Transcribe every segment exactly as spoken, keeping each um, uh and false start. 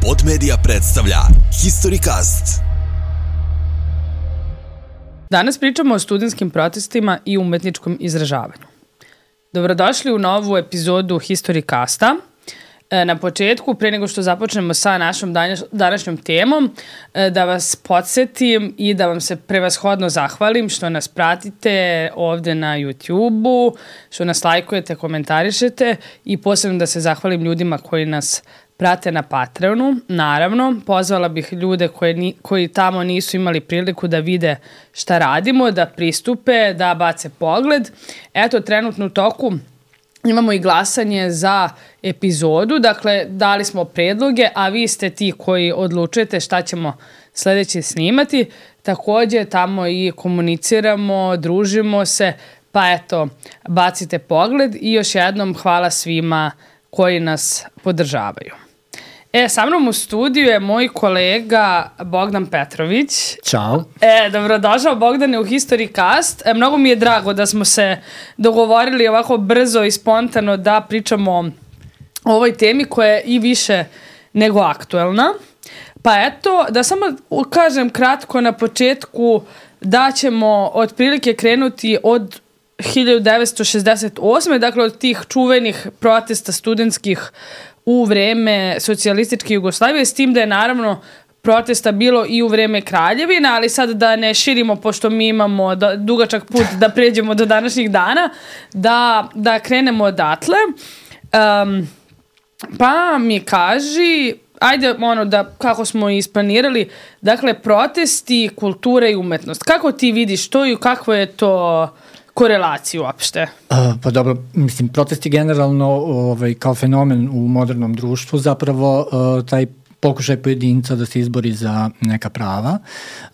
Pod Media predstavlja HistoryCast. Danas pričamo o studentskim protestima i umetničkom izražavanju. Dobrodošli u novu epizodu HistoryCasta. Na početku, pre nego što započnemo sa našom današnjom temom, da vas podsjetim i da vam se prevashodno zahvalim što nas pratite ovde na YouTube-u, što nas lajkujete, komentarišete i posebno da se zahvalim ljudima koji nas prate na Patreonu. Naravno, pozvala bih ljude koje ni, koji tamo nisu imali priliku da vide šta radimo, da pristupe, da bace pogled. Eto, trenutno u toku imamo i glasanje za epizodu, dakle dali smo predloge, a vi ste ti koji odlučujete šta ćemo sledeće snimati. Takođe tamo i komuniciramo, družimo se, pa eto, bacite pogled i još jednom hvala svima koji nas podržavaju. E, sa mnom u studiju je moj kolega Bogdan Petrović. Ćao. E, dobrodošao Bogdane u HistoryCast. E, mnogo mi je drago da smo se dogovorili ovako brzo i spontano da pričamo o ovoj temi koja je i više nego aktuelna. Pa eto, da samo kažem kratko na početku da ćemo otprilike krenuti od hiljadu devetsto šezdeset osme. Dakle od tih čuvenih protesta studentskih u vreme socijalističke Jugoslavije, s tim da je naravno protesta bilo i u vreme Kraljevine, ali sad da ne širimo, pošto mi imamo da, dugačak put da pređemo do današnjih dana, da, da krenemo odatle. Um, pa mi kaži, ajde ono da kako smo isplanirali, dakle protesti, kultura i umetnost. Kako ti vidiš to i kako je to korelaciju uopšte? Uh, pa dobro, mislim, protesti generalno ovaj, kao fenomen u modernom društvu zapravo uh, taj pokušaj pojedinca da se izbori za neka prava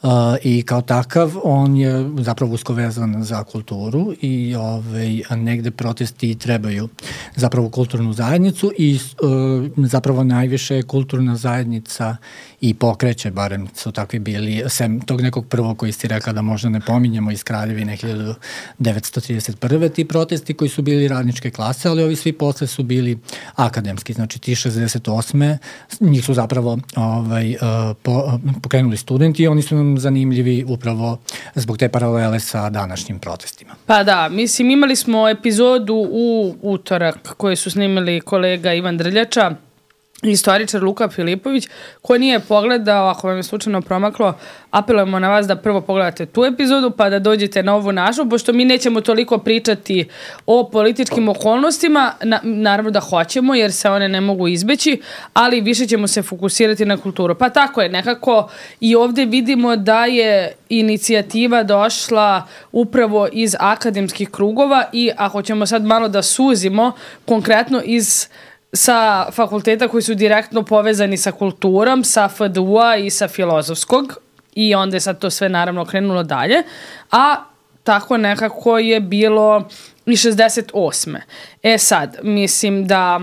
uh, i kao takav on je zapravo usko vezan za kulturu i ovaj, negde protesti trebaju zapravo kulturnu zajednicu i uh, zapravo najviše kulturna zajednica i pokreće, barem su takvi bili, sem tog nekog prvog koji si rekla da možda ne pominjemo iz Kraljevine hiljadu devetsto trideset prve ti protesti koji su bili radničke klase, ali ovi svi posle su bili akademski, znači ti šezdeset osme njih su zapravo ovaj, po, pokrenuli studenti i oni su nam zanimljivi upravo zbog te paralele sa današnjim protestima. Pa da, mislim imali smo epizodu u utorak koju su snimili kolega Ivan Drljača, istoričar Luka Filipović, ko nije pogledao, ako vam je slučajno promaklo, apelujemo na vas da prvo pogledate tu epizodu pa da dođete na ovu našu, pošto mi nećemo toliko pričati o političkim okolnostima, na, naravno da hoćemo jer se one ne mogu izbeći, ali više ćemo se fokusirati na kulturu. Pa tako je, nekako i ovde vidimo da je inicijativa došla upravo iz akademskih krugova i ako ćemo sad malo da suzimo, konkretno iz sa fakulteta koji su direktno povezani sa kulturom, sa F D U-a i sa filozofskog i onda je sad to sve naravno krenulo dalje, a tako nekako je bilo i šezdeset osme. E sad, mislim da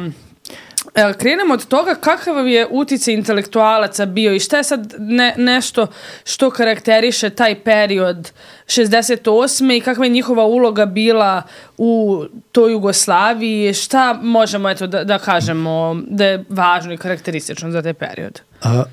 krenemo od toga kakav je uticaj intelektualaca bio i šta je sad ne, nešto što karakteriše taj period šezdeset osme i kakva je njihova uloga bila u toj Jugoslaviji, šta možemo eto da, da kažemo da je važno i karakteristično za taj period? A,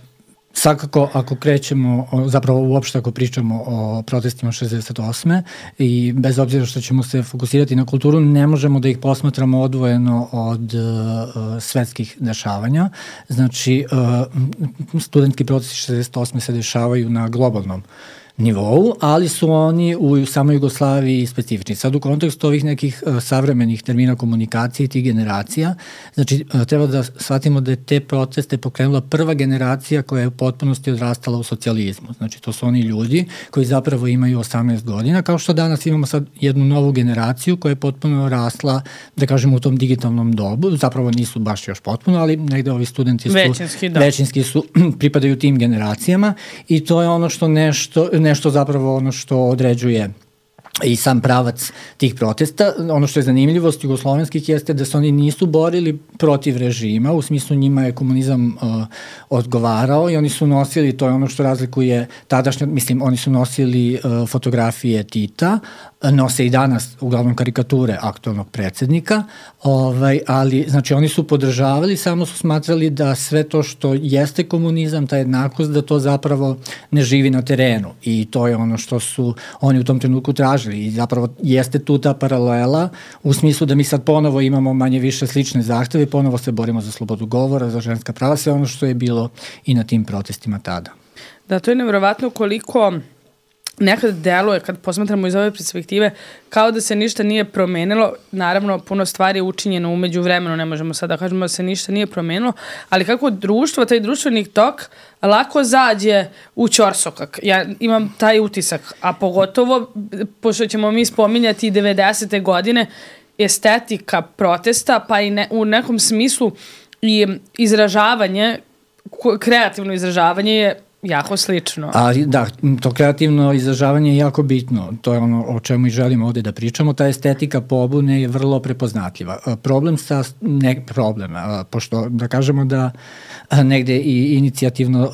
svakako ako krećemo, zapravo uopšte ako pričamo o protestima šezdeset osme i bez obzira što ćemo se fokusirati na kulturu, ne možemo da ih posmatramo odvojeno od uh, svetskih dešavanja. Znači, uh, studentski protesti šezdeset osme se dešavaju na globalnom nivou, ali su oni u samoj Jugoslaviji specifični. Sad u kontekstu ovih nekih uh, savremenih termina komunikacije i tih generacija, znači uh, treba da shvatimo da je te proteste pokrenula prva generacija koja je u potpunosti odrastala u socijalizmu. Znači to su oni ljudi koji zapravo imaju osamnaest godina, kao što danas imamo sad jednu novu generaciju koja je potpuno rasla, da kažemo, u tom digitalnom dobu. Zapravo nisu baš još potpuno, ali negde ovi studenti su većinski, da. većinski su, pripadaju tim generacijama i to je ono što nešto nešto zapravo ono što određuje i sam pravac tih protesta. Ono što je zanimljivost jugoslovenskih jeste da se oni nisu borili protiv režima, u smislu njima je komunizam uh, odgovarao i oni su nosili, to je ono što razlikuje tadašnje, mislim, oni su nosili uh, fotografije Tita, nose i danas uglavnom karikature aktualnog predsednika, ovaj, ali znači oni su podržavali, samo su smatrali da sve to što jeste komunizam, ta jednakost, da to zapravo ne živi na terenu i to je ono što su oni u tom trenutku tražili i zapravo jeste tu ta paralela u smislu da mi sad ponovo imamo manje više slične zahteve, ponovo se borimo za slobodu govora, za ženska prava, sve ono što je bilo i na tim protestima tada. Da, to je nevjerovatno koliko nekad deluje, kad posmatramo iz ove perspektive, kao da se ništa nije promenilo. Naravno, puno stvari je učinjeno umeđu vremenu, ne možemo sad da kažemo da se ništa nije promenilo, ali kako društvo, taj društveni tok lako zađe u ćorsokak. Ja imam taj utisak, a pogotovo, pošto ćemo mi spominjati devedesete godine, estetika protesta, pa i ne, u nekom smislu i izražavanje, kreativno izražavanje je jako slično. Ali da, to kreativno izražavanje je jako bitno. To je ono o čemu i želimo ovde da pričamo. Ta estetika pobune je vrlo prepoznatljiva. Problem sa, ne problem, pošto da kažemo da negde i inicijativno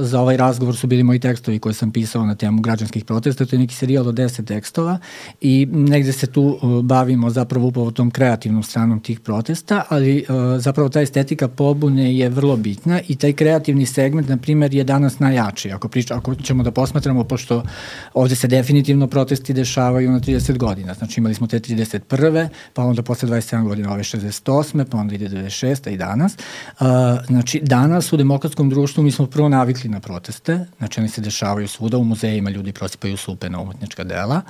za ovaj razgovor su bili moji tekstovi koje sam pisao na temu građanskih protesta, to je neki serijal od deset tekstova i negde se tu bavimo zapravo upravo tom kreativnom stranom tih protesta, ali zapravo ta estetika pobune je vrlo bitna i taj kreativni segment, na primer, je danas najjači. Ako, priča, ako ćemo da posmatramo, pošto ovde se definitivno protesti dešavaju na trideset godina. Znači imali smo te trideset prve, pa onda posle dvadeset sedam godina ove šezdeset osme, pa onda ide devedeset šeste i danas. Uh, znači danas u demokratskom društvu mi smo prvo navikli na proteste, znači oni se dešavaju svuda, u muzejima ljudi prosipaju supe na umetnička dela.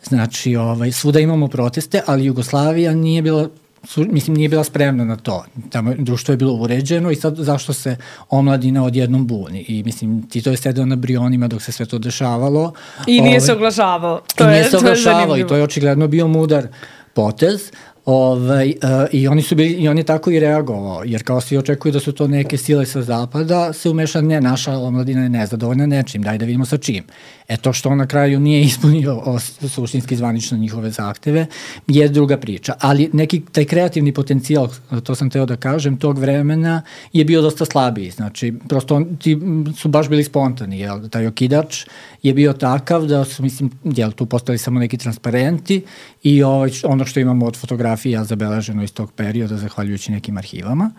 Znači ovaj, svuda imamo proteste, ali Jugoslavija nije bila Su, mislim, nije bila spremna na to. Tamo društvo je bilo uređeno i sad zašto se omladina odjednom buni. I mislim, Tito je sedeo na brionima dok se sve to dešavalo. I nije ove, se oglašavao. To I je, nije se oglašavao i to je očigledno bio mudar potez. Ovaj, uh, i oni su bili, i on je tako i reagovao, jer kao svi očekuju da su to neke sile sa zapada, se umeša, ne, naša omladina je nezadovoljna nečim, daj da vidimo sa čim. E to što on na kraju nije ispunio o, suštinski zvanično njihove zahteve, je druga priča. Ali neki taj kreativni potencijal, to sam teo da kažem, tog vremena je bio dosta slabiji. Znači, prosto on, ti su baš bili spontani, jel? Taj okidač je bio takav da su, mislim, jel, tu postali samo neki transparenti i ovaj, ono što imamo od fotografija zabeleženo iz tog perioda, zahvaljujući nekim arhivama.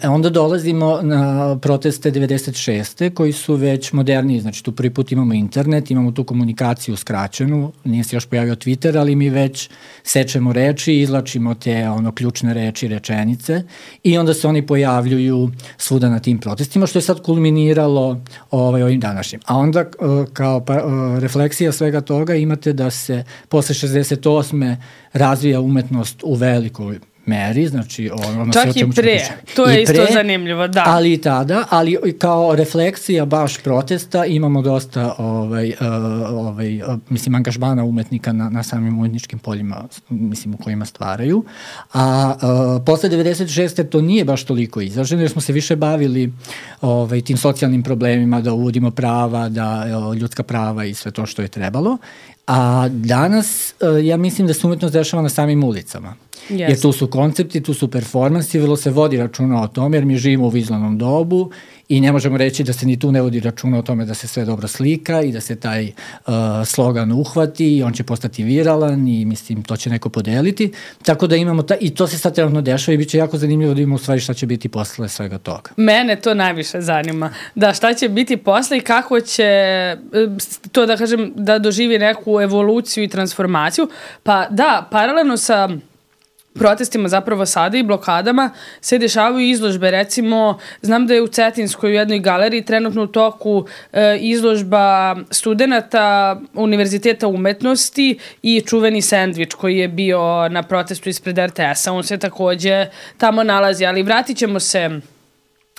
E, onda dolazimo na proteste devedeset šeste koji su već moderniji, znači tu prvi put imamo internet, imamo tu komunikaciju skraćenu, nije se još pojavio Twitter, ali mi već sečemo reči, izlačimo te ono ključne reči, rečenice i onda se oni pojavljuju svuda na tim protestima, što je sad kulminiralo ovaj, ovim današnjim. A onda kao pa, refleksija svega toga imate da se posle šezdeset osme razvija umetnost u velikoj meri, znači ono čak sve o čemu i pre, to je i pre, isto zanimljivo, da. Ali i tada, ali kao refleksija baš protesta imamo dosta ovaj, uh, ovaj, uh, mislim, angažmana umetnika na, na samim umetničkim poljima, mislim, u kojima stvaraju. A uh, posle devedeset šeste to nije baš toliko izraženo, jer smo se više bavili ovaj, tim socijalnim problemima, da uvodimo prava, da uh, ljudska prava i sve to što je trebalo. A danas, uh, ja mislim da se umetnost dešava na samim ulicama. Yes. Jer tu su koncepti, tu su performansi, vrlo se vodi računa o tome, jer mi živimo u vizualnom dobu i ne možemo reći da se ni tu ne vodi računa o tome da se sve dobro slika i da se taj uh, slogan uhvati i on će postati viralan i mislim to će neko podeliti. Tako da imamo, ta, i to se sad trenutno dešava i bit će jako zanimljivo da imamo u stvari šta će biti posle svega toga. Mene to najviše zanima. Da, šta će biti posle i kako će to da kažem da doživi neku evoluciju i transformaciju. Pa da, paralelno sa protestima zapravo sada i blokadama se dešavaju izložbe. Recimo, znam da je u Cetinskoj u jednoj galeriji trenutno u toku e, izložba studenta Univerziteta umetnosti i čuveni sendvič koji je bio na protestu ispred er te es a. On se takođe tamo nalazi, ali vratit ćemo se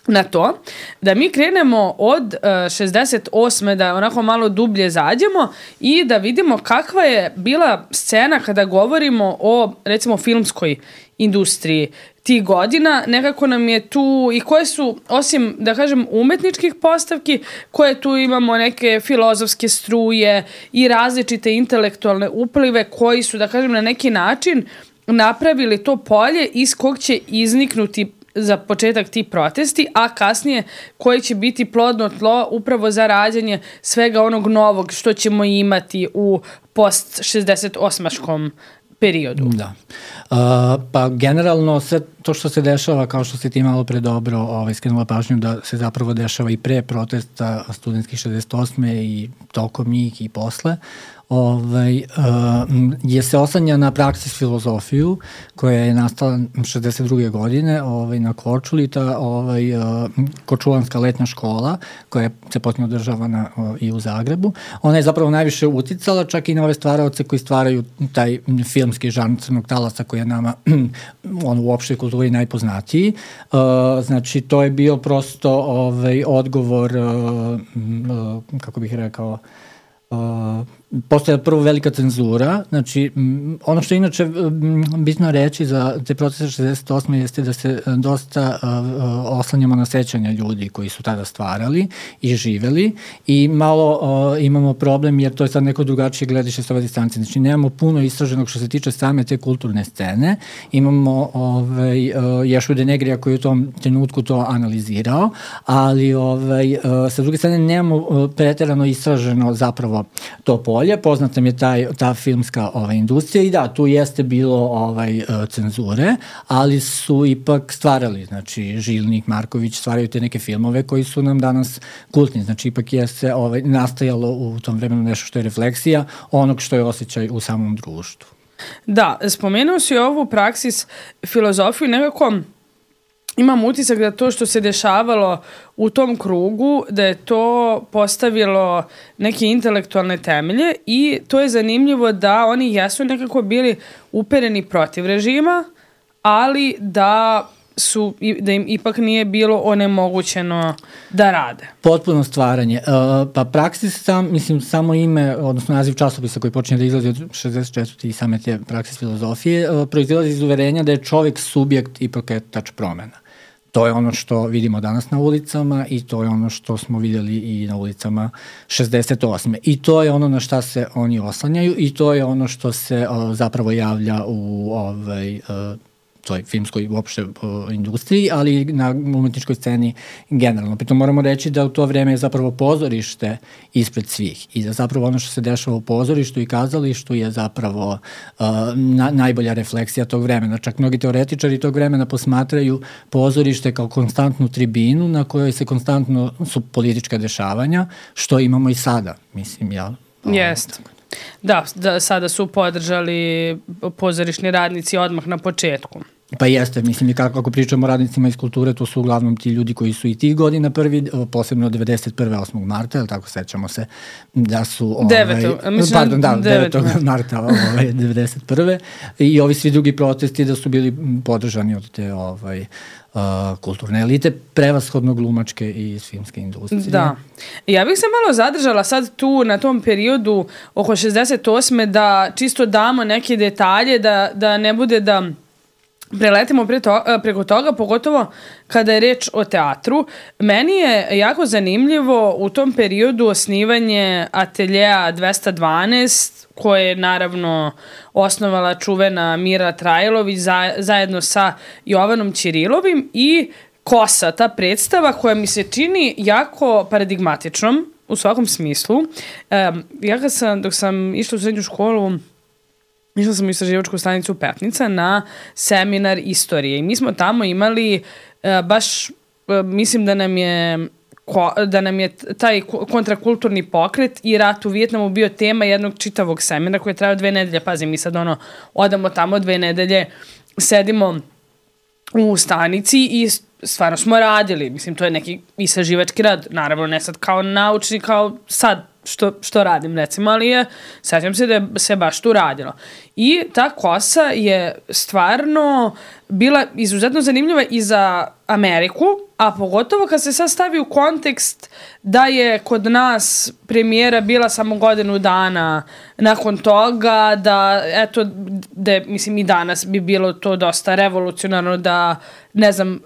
na to, da mi krenemo od uh, šezdeset osme da onako malo dublje zađemo i da vidimo kakva je bila scena kada govorimo o, recimo, filmskoj industriji. tih godina. Nekako nam je tu, i koje su, osim, da kažem, umetničkih postavki, koje tu imamo neke filozofske struje i različite intelektualne uplive koji su, da kažem, na neki način napravili to polje iz kog će izniknuti za početak ti protesti, a kasnije koji će biti plodno tlo upravo za rađanje svega onog novog što ćemo imati u post šezdeset osmaškom periodu. Da. Uh, pa generalno sve to što se dešava, kao što si ti malo pre dobro ovaj, skrenula pažnju, da se zapravo dešava i pre protesta studentskih šezdeset osme i tokom njih i posle, ovaj, uh, je se oslanja na praksis filozofiju koja je nastala šezdeset druge godine ovaj, na Korčuli, ta ovaj, uh, Korčulanska letnja škola koja se potpuno održavana uh, i u Zagrebu. Ona je zapravo najviše uticala čak i na ove stvaraoce koji stvaraju taj filmski žanr Crnog talasa koji je nama on u opštoj kulturi najpoznatiji. Uh, znači to je bio prosto ovaj, odgovor uh, uh, kako bih rekao Uh, postoje prvo velika cenzura, znači m, ono što je inače m, bitno reći za te procese šezdeset osme jeste da se dosta uh, uh, oslanjamo na sećanja ljudi koji su tada stvarali i živeli i malo uh, imamo problem jer to je sad neko drugačije gledište s ove distancije, znači nemamo puno istraženog što se tiče same te kulturne scene, imamo ovaj, uh, Ješu de Negrija koji je u tom trenutku to analizirao, ali ovaj, uh, sa druge strane nemamo uh, preterano istraženo zapravo to polje, poznata mi je taj, ta filmska ovaj, industrija i da, tu jeste bilo ovaj, cenzure, ali su ipak stvarali, znači Žilnik, Marković stvaraju te neke filmove koji su nam danas kultni, znači ipak je se ovaj, nastajalo u tom vremenu nešto što je refleksija onog što je osjećaj u samom društvu. Da, spomenuo si ovu praksis filozofiju, nekako imam utisak da to što se dešavalo u tom krugu, da je to postavilo neke intelektualne temelje i to je zanimljivo da oni jesu nekako bili upereni protiv režima, ali da su, da im ipak nije bilo onemogućeno da rade. Potpuno stvaranje. Uh, pa praksis sam, mislim, samo ime, odnosno naziv časopisa koji počinje da izlazi od šezdeset četvrte i same te praksis filozofije, uh, proizilazi iz uverenja da je čovjek subjekt i pokretač promena. To je ono što vidimo danas na ulicama i to je ono što smo vidjeli i na ulicama šezdeset osme. I to je ono na šta se oni oslanjaju i to je ono što se o, zapravo javlja u ovaj, o, toj filmskoj uopšte o, industriji, ali na umetničkoj sceni generalno. Pritom moramo reći da u to vreme je zapravo pozorište ispred svih i da zapravo ono što se dešava u pozorištu i kazalištu je zapravo uh, na, najbolja refleksija tog vremena. Čak mnogi teoretičari tog vremena posmatraju pozorište kao konstantnu tribinu na kojoj se konstantno su politička dešavanja, što imamo i sada, mislim, ja. Jeste. Da, da, sada su podržali pozorišni radnici odmah na početku. Pa jeste, mislim i kako ako pričamo o radnicima iz kulture, to su uglavnom ti ljudi koji su i tih godina prvi, posebno devedeset prve osmog marta, ali tako sećamo se da su... Ovaj, devetog mislim, pardon, da, devetog marta ovaj, devedeset prve i ovi svi drugi protesti da su bili podržani od te ovaj, uh, kulturne elite, prevashodno glumačke i filmske industrije. Da. Ja bih se malo zadržala sad tu na tom periodu oko šezdeset osme da čisto damo neke detalje, da, da ne bude da preletimo pre to, preko toga, pogotovo kada je reč o teatru. Meni je jako zanimljivo u tom periodu osnivanje ateljeja dvesta dvanaest, koje je naravno osnovala čuvena Mira Trajlović za, zajedno sa Jovanom Ćirilovim i Kosa, ta predstava koja mi se čini jako paradigmatičnom u svakom smislu. Um, ja kad sam, dok sam išla u srednju školu, išla sam u istraživačku stanicu Petnica na seminar istorije i mi smo tamo imali uh, baš, uh, mislim da nam je ko, da nam je taj kontrakulturni pokret i rat u Vijetnamu bio tema jednog čitavog seminara koji je trajao dve nedelje. Pazi, mi sad ono, odamo tamo dve nedelje, sedimo u stanici i stvarno smo radili. Mislim, to je neki istraživački rad. Naravno, ne sad kao naučni, kao sad što, što radim, recimo, ali je, sjećam se da je se baš tu radilo. I ta Kosa je stvarno bila izuzetno zanimljiva i za Ameriku, a pogotovo kad se sad stavi u kontekst da je kod nas premijera bila samo godinu dana nakon toga, da eto, da mislim i danas bi bilo to dosta revolucionarno da, ne znam,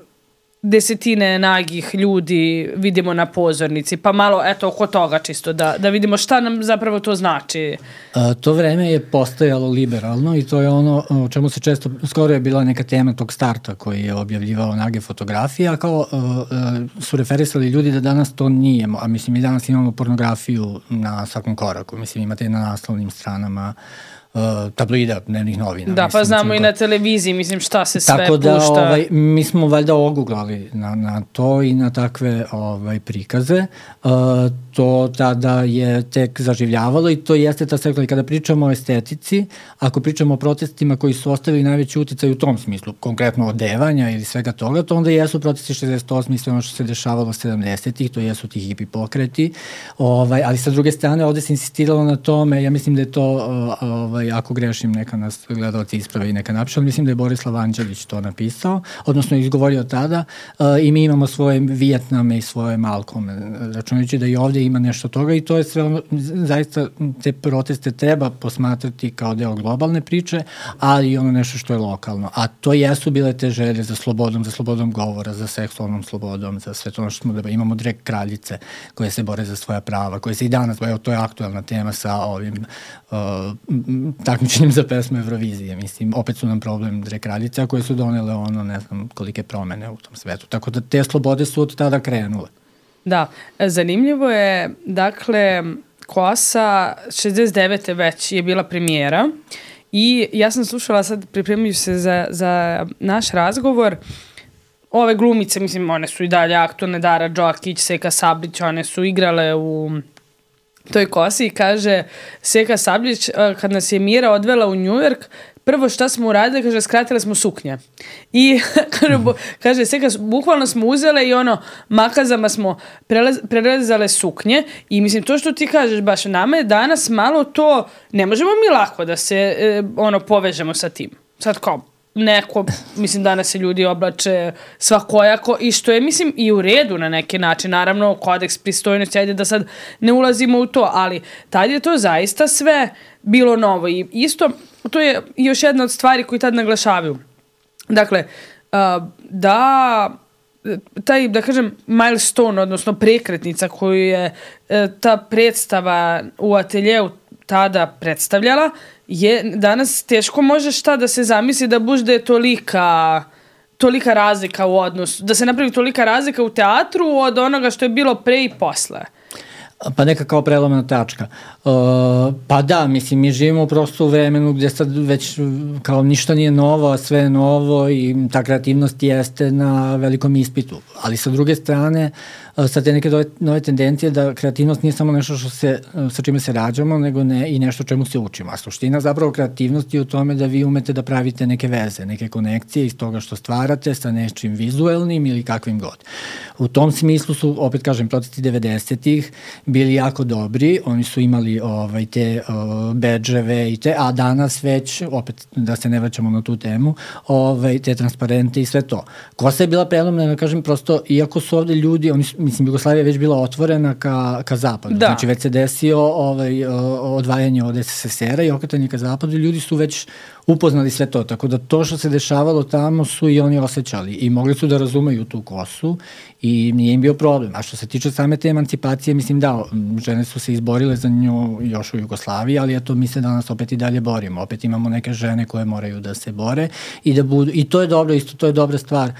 desetine nagih ljudi vidimo na pozornici, pa malo eto oko toga čisto da, da vidimo šta nam zapravo to znači. A, to vreme je postojalo liberalno i to je ono o čemu se često, skoro je bila neka tema tog starta koji je objavljivao nage fotografije, a kao a, a, su referisali ljudi da danas to nije, a mislim i danas imamo pornografiju na svakom koraku, mislim imate na naslovnim stranama Uh, tabloida, dnevnih novina. Da, mislim, pa znamo mislim, i na televiziji, mislim šta se sve tako da, pušta. Ovaj, mi smo valjda oguglali na, na to i na takve ovaj, prikaze. Uh, to tada je tek zaživljavalo i to jeste ta sekla. I kada pričamo o estetici, ako pričamo o protestima koji su ostavili najveći uticaj u tom smislu, konkretno odevanja ili svega toga, to onda jesu protesti šezdeset osme i sve ono što se dešavalo sedamdesetih, to jesu ti hipi pokreti. Ovaj, ali sa druge strane, ovde se insistiralo na tome, ja mislim da je to ovaj, ako grešim, neka nas gledalci isprave i neka napiše, ali mislim da je Borislav Anđelić to napisao, odnosno izgovorio tada uh, i mi imamo svoje Vijetname i svoje Malkome, računajući da i ovde ima nešto toga i to je sve ono, zaista te proteste treba posmatrati kao deo globalne priče, ali i ono nešto što je lokalno, a to jesu bile te želje za slobodom, za slobodom govora, za seksualnom slobodom, za sve to ono što smo da imamo drag kraljice koje se bore za svoja prava, koje se i danas, evo to je aktuelna tema sa ovim uh, takmičenjem za pesmu Eurovizije. Mislim, opet su nam problem drag kraljice koje su donele ono, ne znam, kolike promene u tom svetu. Tako da te slobode su od tada krenule. Da, zanimljivo je, dakle, Kosa šezdeset devete već je bila premijera i ja sam slušala sad, pripremajući se za, za naš razgovor, ove glumice, mislim, one su i dalje aktualne, Dara Đokić, Seka Sablić, one su igrale u toj Kosi i kaže Seka Sablić, kad nas je Mira odvela u Njujork, prvo šta smo uradili, kaže, skratile smo suknje. I kaže, kaže Seka, bukvalno smo uzele i ono, makazama smo prelaz, prelazale suknje i mislim, to što ti kažeš, baš nama je danas malo to, ne možemo mi lako da se e, ono, povežemo sa tim. Sad kao, neko, mislim, danas se ljudi oblače svakojako i što je, mislim, i u redu na neki način. Naravno, kodeks pristojnosti, ajde da sad ne ulazimo u to, ali tad je to zaista sve bilo novo. I isto, to je još jedna od stvari koji tad naglašavaju. Dakle, da taj, da kažem, milestone, odnosno prekretnica koju je ta predstava u ateljeu tada predstavljala, je danas teško može šta da se zamisli da bude tolika, tolika razlika u odnosu, da se napravi tolika razlika u teatru od onoga što je bilo pre i posle. Pa neka kao prelomna tačka. Uh, pa da, mislim, mi živimo prosto u vremenu gdje sad već kao ništa nije novo, a sve je novo i ta kreativnost jeste na velikom ispitu. Ali sa druge strane, uh, sad te neke nove, nove tendencije da kreativnost nije samo nešto što se, uh, sa čime se rađamo, nego ne, i nešto čemu se učimo. A suština zapravo kreativnosti je u tome da vi umete da pravite neke veze, neke konekcije iz toga što stvarate sa nečim vizuelnim ili kakvim god. U tom smislu su, opet kažem, protesti devedesetih bili jako dobri, oni su imali ovaj, te uh, bedževe i te, a danas već, opet da se ne vraćamo na tu temu, ovaj, te transparente i sve to. Kosa je bila prelomna, da kažem, prosto, iako su ovde ljudi, oni, mislim, Jugoslavija je već bila otvorena ka, ka zapadu, da. Znači već se desio ovaj, odvajanje od es es es era i okretanje ka zapadu, ljudi su već upoznali sve to, tako da to što se dešavalo tamo su i oni osjećali i mogli su da razumeju tu Kosu i nije im bio problem. A što se tiče same te emancipacije, mislim da, žene su se izborile za nju još u Jugoslaviji, ali eto, mi se danas opet i dalje borimo. Opet imamo neke žene koje moraju da se bore i da budu, i to je dobro, isto to je dobra stvar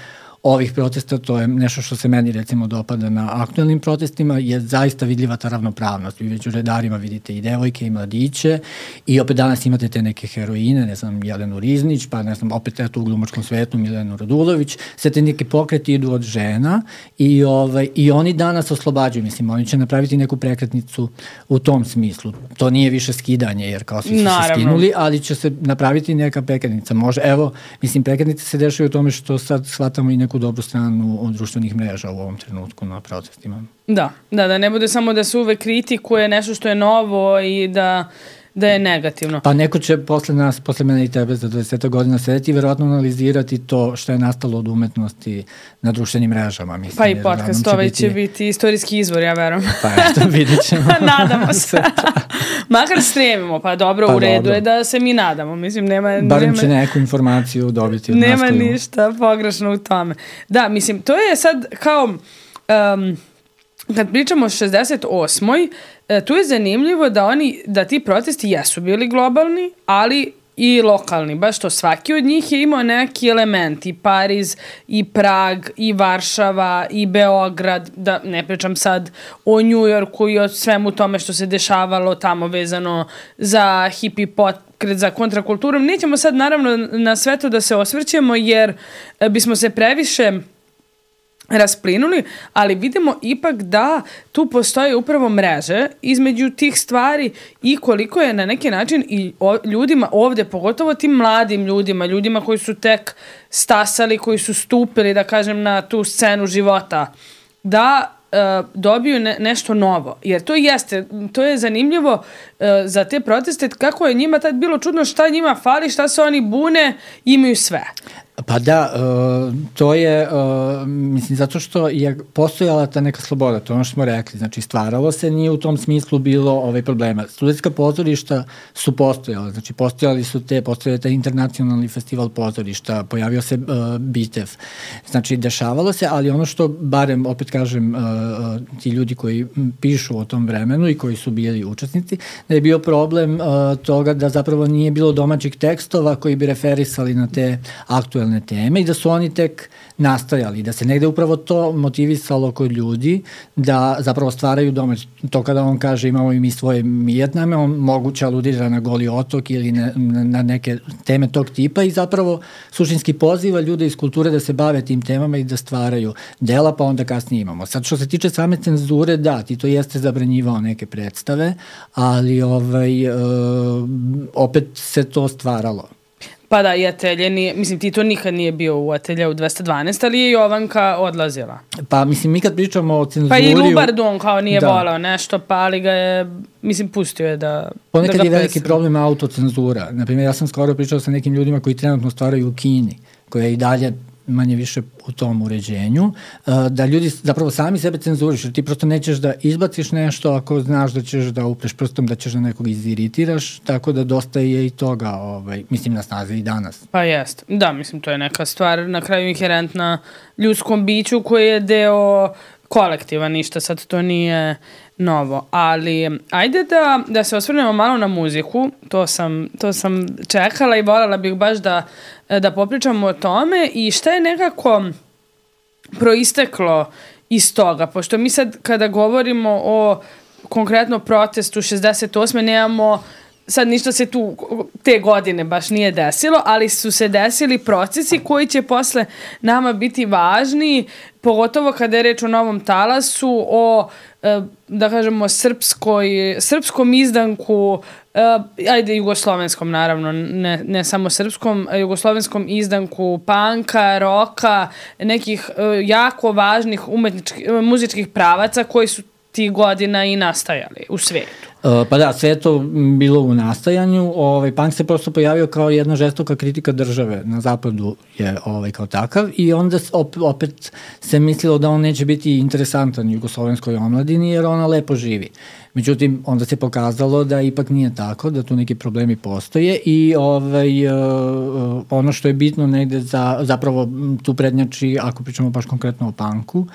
ovih protesta, to je nešto što se meni recimo dopada na aktuelnim protestima, je zaista vidljiva ta ravnopravnost. Vi već u redarima vidite i devojke i mladiće i opet danas imate te neke heroine, ne znam, Jelenu Riznić, pa ne znam, opet eto u glumačkom svetu Milenu Radulović, sve te neke pokreti idu od žena i, ovaj, i oni danas oslobađaju, mislim, oni će napraviti neku prekretnicu u tom smislu. To nije više skidanje, jer kao svi su Naravno. se skinuli, ali će se napraviti neka prekretnica. Može, evo, mislim, prekretnice se dešaju u tome što sad shvatamo i neku dobru stranu od društvenih mreža u ovom trenutku na protestima. Da, da, da ne bude samo da se uvek kritikuje nešto što je novo i da da je negativno. Pa neko će posle nas, posle mene i tebe za dvadeset godina sedeti i verovatno analizirati to što je nastalo od umetnosti na društvenim mrežama. Mislim, pa i podcast ovaj će biti... biti istorijski izvor, ja verujem. Pa eto, vidit ćemo. Nadamo se. Makar stremimo, pa dobro, pa u redu dobro. Je da se mi nadamo. Mislim, nema... Barem nema, će neku informaciju dobiti od nema nas. Nema ništa pogrešno u tome. Da, mislim, to je sad kao... Um, kad pričamo o šezdeset osmoj tu je zanimljivo da oni, da ti protesti jesu bili globalni, ali i lokalni, baš to svaki od njih je imao neki element, i Pariz, i Prag, i Varšava, i Beograd, da ne pričam sad o Njujorku i o svemu tome što se dešavalo tamo vezano za hippie pokret, za kontrakulturu. Nećemo sad naravno na sve to da se osvrćemo jer bismo se previše rasplinuli, ali vidimo ipak da tu postoje upravo mreže između tih stvari i koliko je na neki način i o, ljudima ovde, pogotovo tim mladim ljudima, ljudima koji su tek stasali, koji su stupili, da kažem, na tu scenu života, da e, dobiju ne, nešto novo. Jer to jeste, to je zanimljivo e, za te proteste, kako je njima tad bilo čudno šta njima fali, šta se oni bune, imaju sve. Pa da, uh, to je, uh, mislim, zato što je postojala ta neka sloboda, to je ono što smo rekli, znači stvaralo se, nije u tom smislu bilo ovaj problema. Studentska pozorišta su postojala, znači postojali su te, postojali taj internacionalni festival pozorišta, pojavio se uh, Bitev, znači dešavalo se, ali ono što, barem, opet kažem, uh, ti ljudi koji pišu o tom vremenu i koji su bili učesnici, da je bio problem uh, toga da zapravo nije bilo domaćih tekstova koji bi referisali na te aktuelne teme i da su oni tek nastajali, da se negde upravo to motivisalo kod ljudi da zapravo stvaraju domać. To kada on kaže imamo i mi svoje Vijetname, on moguće aludira na Goli otok ili na, na neke teme tog tipa i zapravo suštinski poziva ljude iz kulture da se bave tim temama i da stvaraju dela, pa onda kasnije imamo. Sad što se tiče same cenzure, da, ti to jeste zabranjivao neke predstave, ali ovaj, uh, opet se to stvaralo. Pa da, i Atelje nije, mislim, Tito nikad nije bio u Atelje u dvesta dvanaest, ali je Jovanka odlazila. Pa, mislim, mi kad pričamo o cenzuri... Pa i Lubardu on kao nije da. volao nešto, pa ali ga je, mislim, pustio je da... Ponekad da je veliki presne. problem autocenzura. Naprimjer, ja sam skoro pričao sa nekim ljudima koji trenutno stvaraju u Kini, koja je i dalje manje više u tom uređenju, da ljudi zapravo sami sebe cenzuriš, jer ti prosto nećeš da izbaciš nešto ako znaš da ćeš da upreš prstom, da ćeš da nekog iziritiraš, tako da dosta je i toga, ovaj, mislim, na snazi i danas. Pa jest, da, mislim, to je neka stvar na kraju inherentna ljudskom biću koji je deo kolektiva, ništa sad to nije novo, ali ajde da, da se osvrnemo malo na muziku, to sam, to sam čekala i voljela bih baš da, da popričamo o tome i šta je nekako proisteklo iz toga, pošto mi sad kada govorimo o konkretno protestu šezdeset osme nemamo sad ništa se tu te godine baš nije desilo, ali su se desili procesi koji će posle nama biti važni, pogotovo kada je reč o Novom talasu, o, da kažemo, srpskoj, srpskom izdanku, ajde, jugoslovenskom naravno, ne, ne samo srpskom, jugoslovenskom izdanku panka, roka, nekih jako važnih umetničkih, muzičkih pravaca koji su tih godina i nastajali u svetu. Uh, pa da, sve je to bilo u nastajanju. Ovaj, punk se prosto pojavio kao jedna žestoka kritika države. Na zapadu je ovaj, kao takav i onda op, opet se mislilo da on neće biti interesantan jugoslovenskoj omladini jer ona lepo živi. Međutim, onda se pokazalo da ipak nije tako, da tu neki problemi postoje i ovaj, uh, ono što je bitno negde za, zapravo tu prednjači, ako pričamo baš konkretno o punku,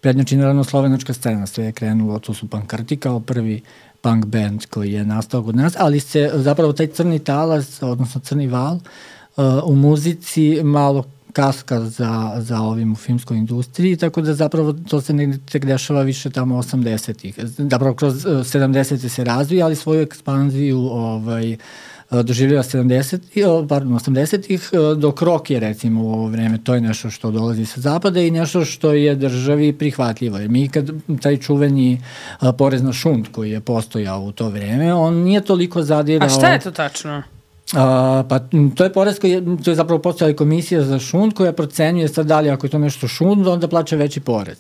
prednjači naravno slovenačka scena, sve je krenulo, to su Pankrti kao prvi punk band koji je nastao kod nas, ali se zapravo taj crni talas, odnosno crni val, uh, u muzici malo kaska za, za ovim u filmskoj industriji, tako da zapravo to se negdje tek dešava više tamo osamdesetih. Zapravo kroz uh, sedamdesete se razvija, ali svoju ekspanziju ovaj, doživljava sedamdesetih, pardon, osamdesetih, dok rock je recimo u ovo vreme, to je nešto što dolazi sa zapada i nešto što je državi prihvatljivo. Jer mi kad taj čuveni a, porez na šund koji je postojao u to vreme, on nije toliko zadirao... A šta je to tačno? A, pa to je porez koji je, to je zapravo postojala komisija za šund koja procenjuje sad da li ako je to nešto šund, onda plaća veći porez.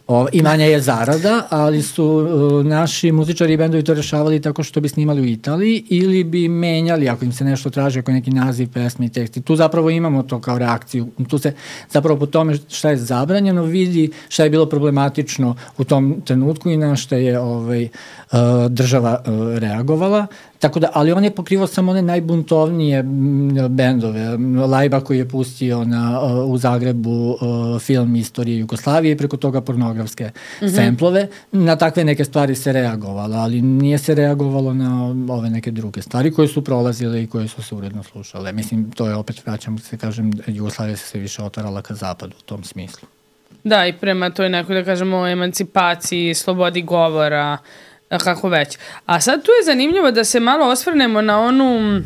O, I manja je zarada, ali su uh, naši muzičari i bendovi to rešavali tako što bi snimali u Italiji ili bi menjali ako im se nešto traži, ako je neki naziv, pesmi i tekst. I tu zapravo imamo to kao reakciju. Tu se zapravo po tome šta je zabranjeno vidi šta je bilo problematično u tom trenutku i na šta je ovaj, uh, država uh, reagovala. Tako da, ali on je pokrivao samo one najbuntovnije bendove. Lajba koji je pustio na, u Zagrebu film Istorije Jugoslavije i preko toga pornografske mm-hmm. semplove. Na takve neke stvari se reagovalo, ali nije se reagovalo na ove neke druge stvari koje su prolazile i koje su se uredno slušale. Mislim, to je opet, vraćam se kažem, Jugoslavija se sve više otvarala ka zapadu u tom smislu. Da, i prema toj nekoj, da kažemo, emancipaciji, slobodi govora, kako već. A sad tu je zanimljivo da se malo osvrnemo na onu,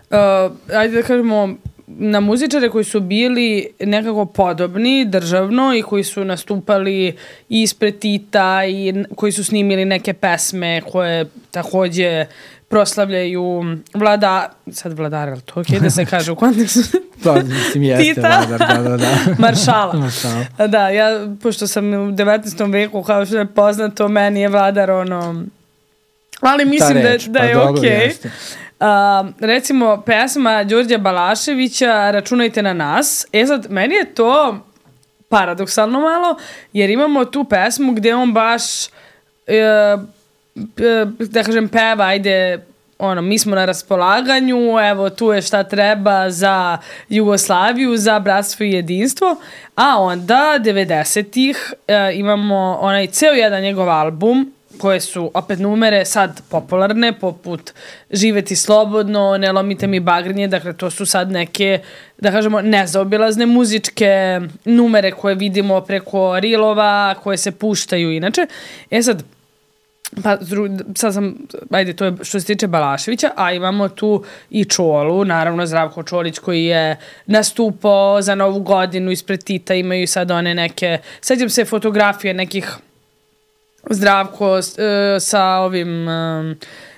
uh, ajde da kažemo, na muzičare koji su bili nekako podobni državno i koji su nastupali ispred Tita i koji su snimili neke pesme koje takođe proslavljaju vlada, sad vladar, ali to ok da se kaže u kontekstu pa, mislim, jeste Tita, vladar, da, da, da. Maršala. Maršala. Da, ja, pošto sam u devetnaestom veku, kao što je poznato, meni je vladar ono, ali mislim reč, da, da je pa, ok. Uh, recimo, pesma Đorđa Balaševića Računajte na nas. E sad, meni je to paradoksalno malo, jer imamo tu pesmu gde on baš uh, da kažem peva, ajde, ono, mi smo na raspolaganju, evo tu je šta treba za Jugoslaviju, za bratstvo i jedinstvo, a onda devedesetih uh, imamo onaj ceo jedan njegov album koje su opet numere sad popularne, poput Živeti slobodno, Ne lomite mi bagrnje, dakle to su sad neke, da kažemo, nezaobilazne muzičke numere koje vidimo preko rilova, koje se puštaju inače. E sad, pa sad sam, ajde, to je što se tiče Balaševića, a imamo tu i Čolu, naravno Zdravko Čolić koji je nastupao za Novu godinu ispred Tita, imaju sad one neke, sećam se fotografije nekih Zdravko uh, sa ovim um,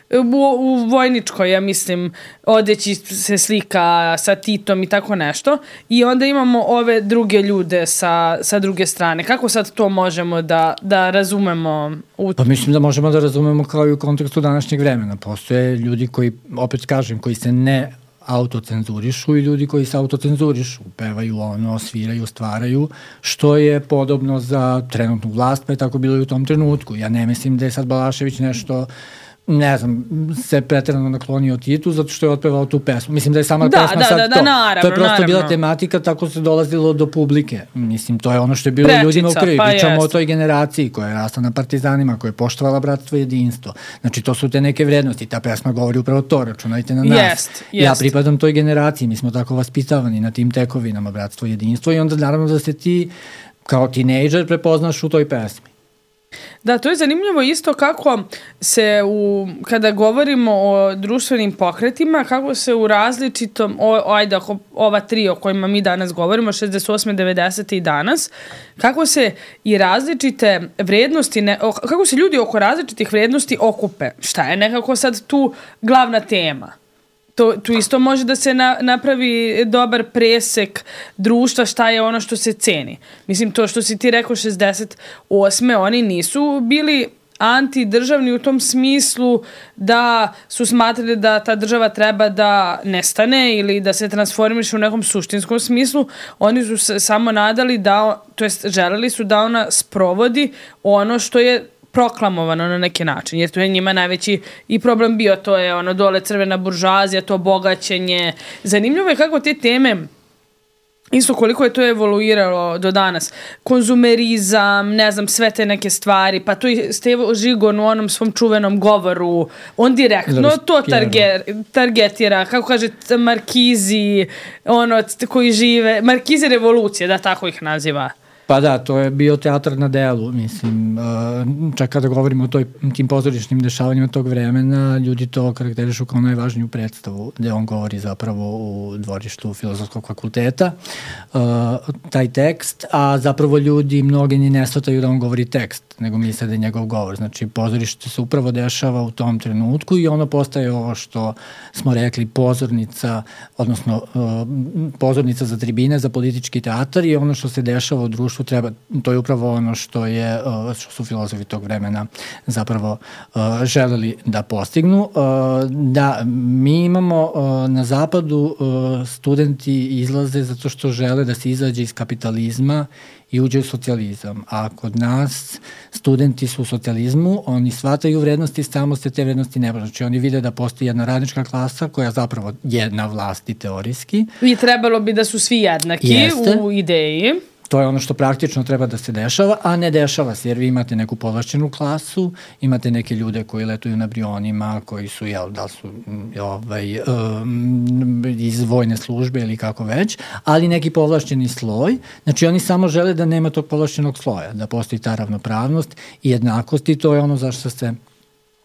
u, u vojničkoj, ja mislim, odeći se slika sa Titom i tako nešto. I onda imamo ove druge ljude sa, sa druge strane. Kako sad to možemo da, da razumemo? U... Pa mislim da možemo da razumemo kao i u kontekstu današnjeg vremena. Postoje ljudi koji, opet kažem, koji se ne autocenzurišu i ljudi koji se autocenzurišu, pevaju ono, sviraju, stvaraju, što je podobno za trenutnu vlast, pa je tako bilo i u tom trenutku. Ja ne mislim da je sad Balašević nešto, ne znam, se preterano naklonio Titu zato što je otpevao tu pesmu. Mislim da je sama da, pesma da, sad da, da, to. naravno, to je prosto naravno. bila tematika, tako se dolazilo do publike. Mislim, to je ono što je bilo Prečica, ljudima u krvi. Pa Pričamo jest. o toj generaciji koja je rasla na partizanima, koja je poštovala bratstvo i jedinstvo. Znači, to su te neke vrednosti. Ta pesma govori upravo to, računajte na nas. Jest, jest. Ja pripadam toj generaciji, mi smo tako vaspitavani na tim tekovinama bratstvo i jedinstvo i onda naravno da se ti kao tinejdžer prepoznaš u toj pesmi. Da, to je zanimljivo isto kako se, u, kada govorimo o društvenim pokretima, kako se u različitom, o, ajde, ova tri o kojima mi danas govorimo, šezdeset osme, devedesete i danas, kako se i različite vrednosti, ne, kako se ljudi oko različitih vrednosti okupe. Šta je nekako sad tu glavna tema? To, tu isto može da se na, napravi dobar presek društva, šta je ono što se ceni. Mislim, to što si ti rekao šezdeset osme oni nisu bili antidržavni u tom smislu da su smatrali da ta država treba da nestane ili da se transformiše u nekom suštinskom smislu. Oni su se samo nadali da, to jest želeli su da ona sprovodi ono što je proklamovano na neki način, jer to je njima najveći i problem bio, to je ono dole crvena buržoazija, to bogaćenje. Zanimljivo je kako te teme, isto koliko je to evoluiralo do danas, konzumerizam, ne znam, sve te neke stvari, pa to i Stevo Žigon u onom svom čuvenom govoru, on direktno to targe, targetira, kako kaže, Markizi, ono, koji žive, Markizi revolucije, da tako ih naziva. Pa da, to je bio teatr na delu, mislim, čak kada govorimo o toj, tim pozorišnim dešavanjima tog vremena, ljudi to karakterišu kao najvažniju predstavu, gde on govori zapravo u dvorištu Filozofskog fakulteta, taj tekst, a zapravo ljudi mnogi ni ne shvataju da on govori tekst. tekst, nego misle da je njegov govor. Znači, pozorište se upravo dešava u tom trenutku i ono postaje ovo što smo rekli pozornica, odnosno uh, pozornica za tribine, za politički teatar i ono što se dešava u društvu treba, to je upravo ono što je, uh, što su filozofi tog vremena zapravo uh, želeli da postignu. Uh, da, mi imamo uh, na zapadu uh, studenti izlaze zato što žele da se izađe iz kapitalizma i uđe u socijalizam. A kod nas studenti su u socijalizmu, oni shvataju vrednosti, samo se te vrednosti ne može. Znači oni vide da postoji jedna radnička klasa koja zapravo je na vlasti teorijski. I trebalo bi da su svi jednaki Jeste. u ideji. To je ono što praktično treba da se dešava, a ne dešava se, jer vi imate neku povlašćenu klasu, imate neke ljude koji letuju na Brionima, koji su, jel, da su ovaj, um, iz vojne službe ili kako već, ali neki povlašćeni sloj, znači oni samo žele da nema tog povlašćenog sloja, da postoji ta ravnopravnost i jednakost i to je ono zašto se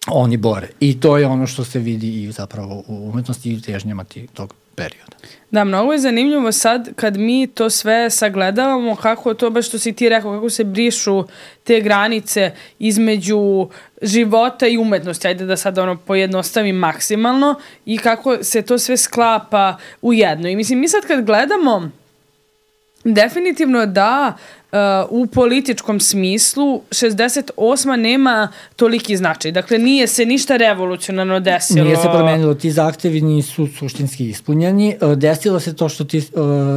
oni bore. I to je ono što se vidi i zapravo u umetnosti i u težnjama tog perioda. Da, mnogo je zanimljivo sad kad mi to sve sagledavamo, kako to baš što si ti rekao, kako se brišu te granice između života i umetnosti, ajde da sad ono pojednostavim maksimalno i kako se to sve sklapa u jedno. I mislim, mi sad kad gledamo, definitivno da uh, u političkom smislu šezdeset osma nema toliki značaj. Dakle, nije se ništa revolucionarno desilo. Nije se promenilo. Ti zahtevi nisu suštinski ispunjeni. Desilo se to što ti uh,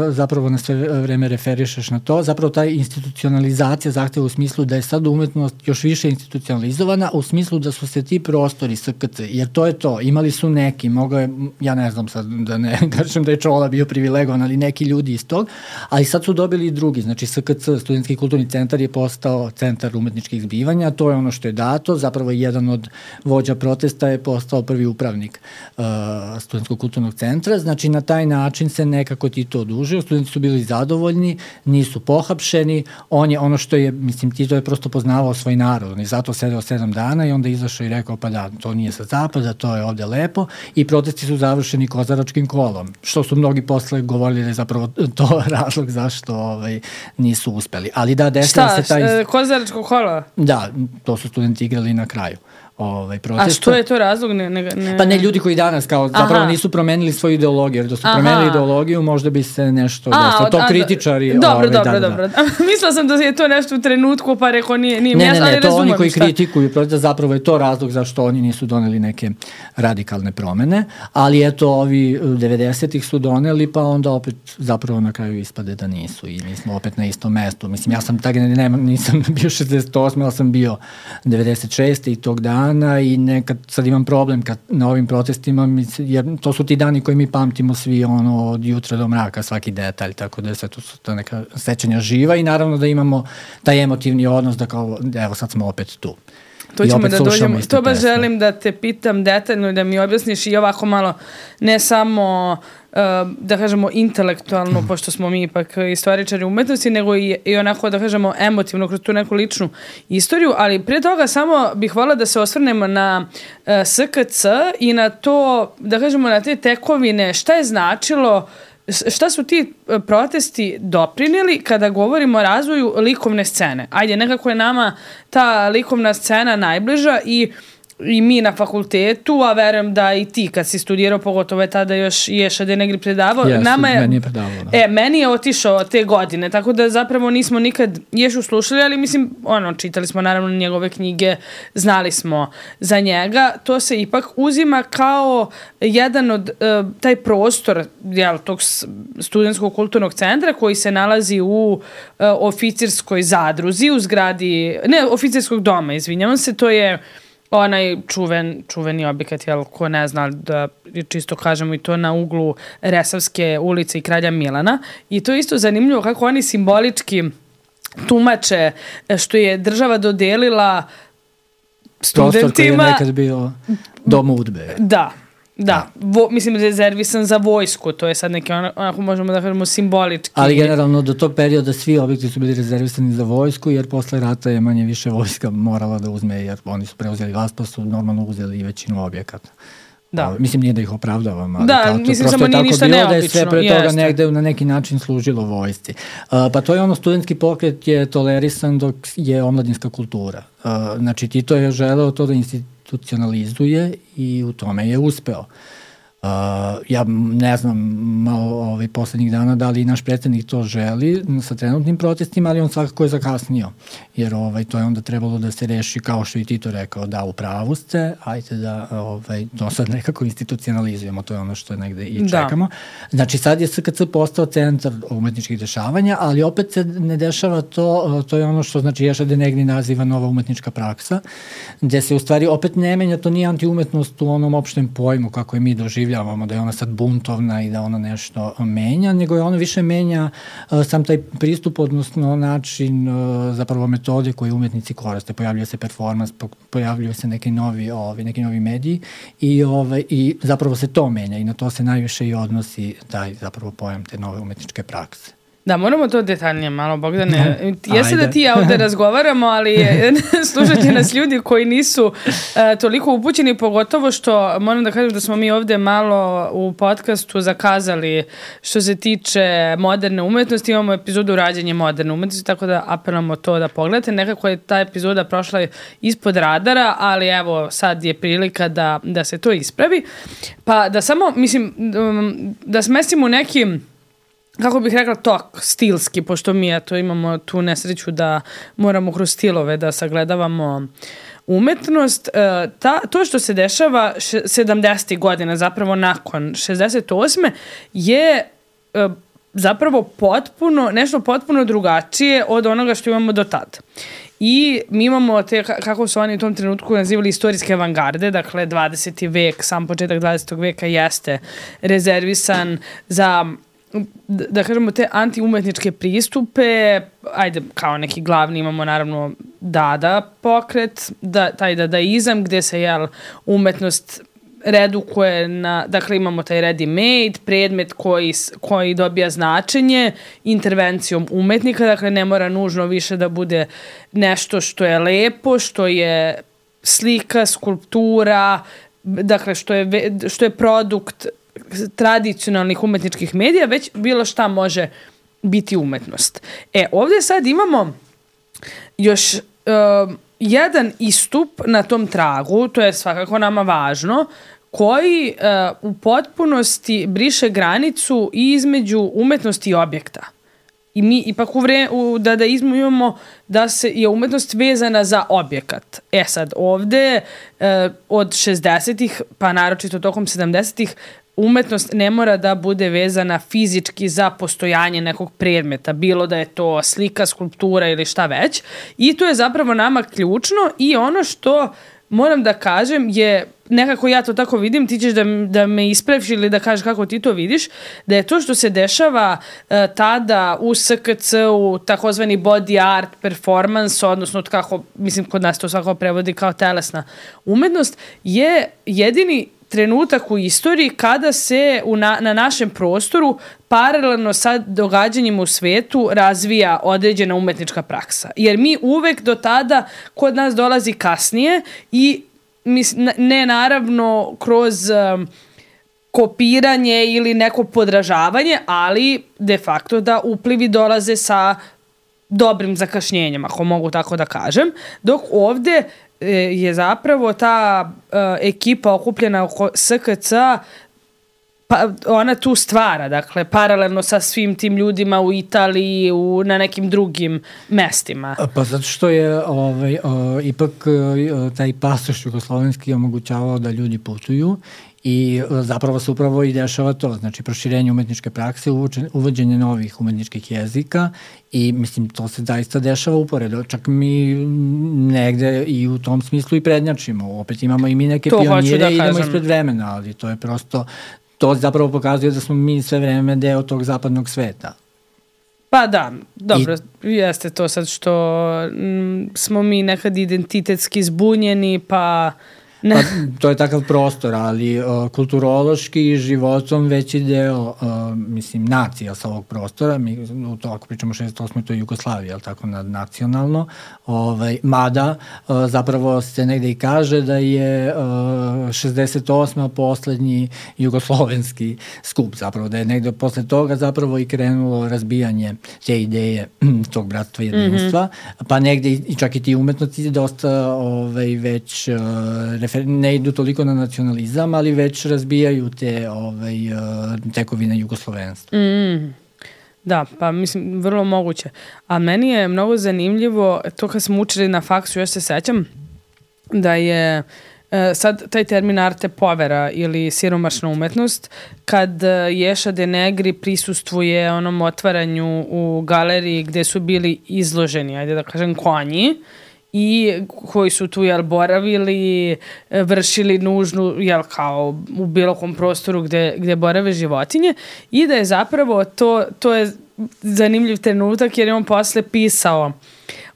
zapravo na sve vreme referišeš na to. Zapravo ta institucionalizacija zahteva u smislu da je sad umetnost još više institucionalizovana, u smislu da su se ti prostori S K C, jer to je to. Imali su neki, mogao je, ja ne znam sad da ne kažem da je Čola bio privilegovan, ali neki ljudi iz tog, ali sad su dobili i drugi. Znači S K C, Studentski kulturni centar, je postao centar umetničkih zbivanja, to je ono što je dato, zapravo jedan od vođa protesta je postao prvi upravnik uh, Studentskog kulturnog centra, znači na taj način se nekako Tito odužio, studenti su bili zadovoljni, nisu pohapšeni, on je ono što je, mislim, Tito je prosto poznavao svoj narod, on je zato sedeo sedam dana i onda izašao i rekao, pa da, to nije sa zapada, to je ovde lepo, i protesti su završeni kozaračkim kolom, što su mnogi posle govorili da je zapravo to razlog zašto ovaj, nisu uspeli. Ali da, desila se taj... Šta, kozaračko kolo? Da, to su studenti igrali na kraju. Ovaj, protesta. A što je to razlog? Ne, ne, ne... Pa ne, ljudi koji danas kao zapravo Aha. nisu promenili svoju ideologiju, jer da su Aha. promenili ideologiju možda bi se nešto desilo. To a, kritičari... Dobro, ovaj, dobro, da, dobro. Da. Mislila sam da je to nešto u trenutku, pa rekao nije, nije ne, jasno, ne, ne, ali to oni koji šta. kritikuju protesta, zapravo je to razlog zašto oni nisu doneli neke radikalne promene, ali eto, ovi devedesetih su doneli, pa onda opet zapravo na kraju ispade da nisu i mi smo opet na istom mestu. Mislim, ja sam tak, ne, ne, nisam bio šezdeset osme, ali sam bio devedeset šeste i tog dana i nekad sad imam problem kad na ovim protestima, jer to su ti dani koji mi pamtimo svi ono od jutra do mraka, svaki detalj, tako da sve to su ta neka sećanja živa i naravno da imamo taj emotivni odnos da kao, evo sad smo opet tu. To ćemo da dođemo, to baš želim da te pitam detaljno i da mi objasniš i ovako malo, ne samo uh, da kažemo intelektualno, mm. pošto smo mi ipak istoričari umetnosti, nego i, i onako da kažemo emotivno kroz tu neku ličnu istoriju, ali prije toga samo bih voljela da se osvrnemo na uh, S K C i na to, da kažemo na te tekovine, šta je značilo, šta su ti protesti doprinijeli kada govorimo o razvoju likovne scene? Ajde, nekako je nama ta likovna scena najbliža i i mi na fakultetu, a verujem da i ti kad si studirao, pogotovo je tada još Ješa de Negri predavao. Jesu, nama je, meni je predavao. Da. E, meni je otišao te godine, tako da zapravo nismo nikad Ješu slušali, ali mislim, ono, čitali smo naravno njegove knjige, znali smo za njega. To se ipak uzima kao jedan od, uh, taj prostor, jel, tog studentskog kulturnog centra koji se nalazi u uh, oficirskoj zadruzi, u zgradi, ne, oficirskog doma, izvinjavam se, to je onaj čuven, čuveni objekat, jel, ko ne zna, da čisto kažemo i to na uglu Resavske ulice i Kralja Milana. I to je isto zanimljivo kako oni simbolički tumače što je država dodelila studentima. Prostor koji je nekad bio dom udbe. Da. Da, vo, mislim rezervisan za vojsku, to je sad neki onako možemo da kažemo simbolički. Ali generalno do tog perioda svi objekti su bili rezervisani za vojsku, jer posle rata je manje više vojska morala da uzme, jer oni su preuzeli vlast, pa su normalno uzeli i većinu objekata. Da. O, mislim, nije da ih opravdavam, ali da, tako, mislim, samo nije ništa bilo, neobično. Da je sve pre toga jeste. negde na neki način služilo vojsci. Uh, pa to je ono, studentski pokret je tolerisan dok je omladinska kultura. Uh, znači, Tito je želeo to da institucionalizuje i u tome je uspeo. Uh, ja ne znam malo ovaj, poslednjih dana da li naš predsjednik to želi sa trenutnim protestima, ali on svakako je zakasnio, jer ovaj, to je onda trebalo da se reši kao što i Tito rekao, da u pravu ste, ajte da ovaj, to sad nekako institucionalizujemo, to je ono što negde i čekamo. Da. Znači sad je S K C postao centar umetničkih dešavanja, ali opet se ne dešava to, to je ono što znači Ješa Denegni naziva nova umetnička praksa, gde se u stvari opet ne menja, to nije antiumetnost u onom opštem pojmu kako je mi doživljavamo, da je ona sad buntovna i da ona nešto menja, nego je ona više menja uh, sam taj pristup, odnosno način, uh, zapravo metode koje umetnici koriste. Pojavljuje se performans, po, pojavljuje se neki novi, ovi, neki novi mediji i, ovaj, i zapravo se to menja i na to se najviše i odnosi taj zapravo pojam te nove umetničke prakse. Da, moramo to detaljnije malo, Bogdane. Jeste da ti ja ovde razgovaramo, ali slušat će nas ljudi koji nisu uh, toliko upućeni, pogotovo što moram da kažem da smo mi ovde malo u podcastu zakazali što se tiče moderne umetnosti. Imamo epizodu rađenje moderne umetnosti, tako da apelamo to da pogledate. Nekako je ta epizoda prošla ispod radara, ali evo sad je prilika da, da se to ispravi. Pa da samo, mislim, da smestimo u nekim, kako bih rekla, tok stilski, pošto mi eto imamo tu nesreću da moramo kroz stilove da sagledavamo umetnost. E, ta, to što se dešava sedamdesetih godina, zapravo nakon šezdeset osme je e, zapravo potpuno, nešto potpuno drugačije od onoga što imamo do tada. I mi imamo te, kako su oni u tom trenutku nazivali, istorijske avangarde, dakle dvadeseti vek, sam početak dvadesetog veka jeste rezervisan za, da kažemo, te antiumetničke pristupe. Ajde, kao neki glavni imamo naravno Dada pokret, da, taj dadaizam gde se jel, umetnost redukuje na, dakle imamo taj ready-made, predmet koji, koji dobija značenje intervencijom umetnika, dakle ne mora nužno više da bude nešto što je lepo, što je slika, skulptura, dakle što je, što je produkt tradicionalnih umetničkih medija, već bilo šta može biti umetnost. E, ovdje sad imamo još uh, jedan istup na tom tragu, to je svakako nama važno, koji uh, u potpunosti briše granicu između umetnosti i objekta. I mi ipak u, vre, u dadaizmu imamo da se je umetnost vezana za objekat. E sad, ovde uh, od šezdesetih, pa naročito tokom sedamdesetih, umetnost ne mora da bude vezana fizički za postojanje nekog predmeta, bilo da je to slika, skulptura ili šta već. I to je zapravo nama ključno i ono što moram da kažem je, nekako ja to tako vidim, ti ćeš da, da me ispraviš ili da kažeš kako ti to vidiš, da je to što se dešava uh, tada u S K C-u, takozvani body art performance, odnosno kako, mislim kod nas to svako prevodi kao telesna umetnost, je jedini trenutak u istoriji kada se u na, na našem prostoru paralelno sa događanjima u svetu razvija određena umetnička praksa. Jer mi uvek do tada kod nas dolazi kasnije i mis, ne naravno kroz um, kopiranje ili neko podražavanje, ali de facto da uplivi dolaze sa dobrim zakašnjenjem, ako mogu tako da kažem, dok ovde je zapravo ta uh, ekipa okupljena oko S K C-a, pa ona tu stvara, dakle, paralelno sa svim tim ljudima u Italiji, u, na nekim drugim mestima. Pa zato što je ovaj, o, ipak o, taj pasoš jugoslovenski omogućavao da ljudi putuju i zapravo se upravo i dešava to, znači proširenje umetničke prakse, uvođenje novih umetničkih jezika i mislim to se zaista dešava uporedo, čak mi negde i u tom smislu i prednjačimo, opet imamo i mi neke to pionire da i idemo ispred vremena, ali to je prosto, to zapravo pokazuje da smo mi sve vreme deo tog zapadnog sveta. Pa da, dobro, I... jeste to sad što m, smo mi nekad identitetski zbunjeni, pa Pa, to je takav prostor, ali uh, kulturološki i životom veći deo, uh, mislim, nacija sa ovog prostora, mi, u to, ako pričamo šezdeset osme to je Jugoslavija, ali tako, nadnacionalno, ovaj, mada uh, zapravo se negde i kaže da je uh, šezdeset osma poslednji jugoslovenski skup, zapravo, da je negde posle toga zapravo i krenulo razbijanje te ideje tog bratstva i jedinstva, mm-hmm. pa negde i čak i ti umetnosti dosta ovaj, već uh, ne idu toliko na nacionalizam, ali već razbijaju te ovaj, tekovine jugoslovenstva. Mm, da, pa mislim, vrlo moguće. A meni je mnogo zanimljivo, to kad smo učili na faksu, još se sećam, da je e, sad taj termin arte povera ili siromašna umetnost, kad Ješa de Negri prisustvuje onom otvaranju u galeriji gde su bili izloženi, ajde da kažem, konji, i koji su tu, jel, boravili, vršili nužnu, jel, kao u bilo kom prostoru gde, gde borave životinje, i da je zapravo to, to je zanimljiv trenutak jer je on posle pisao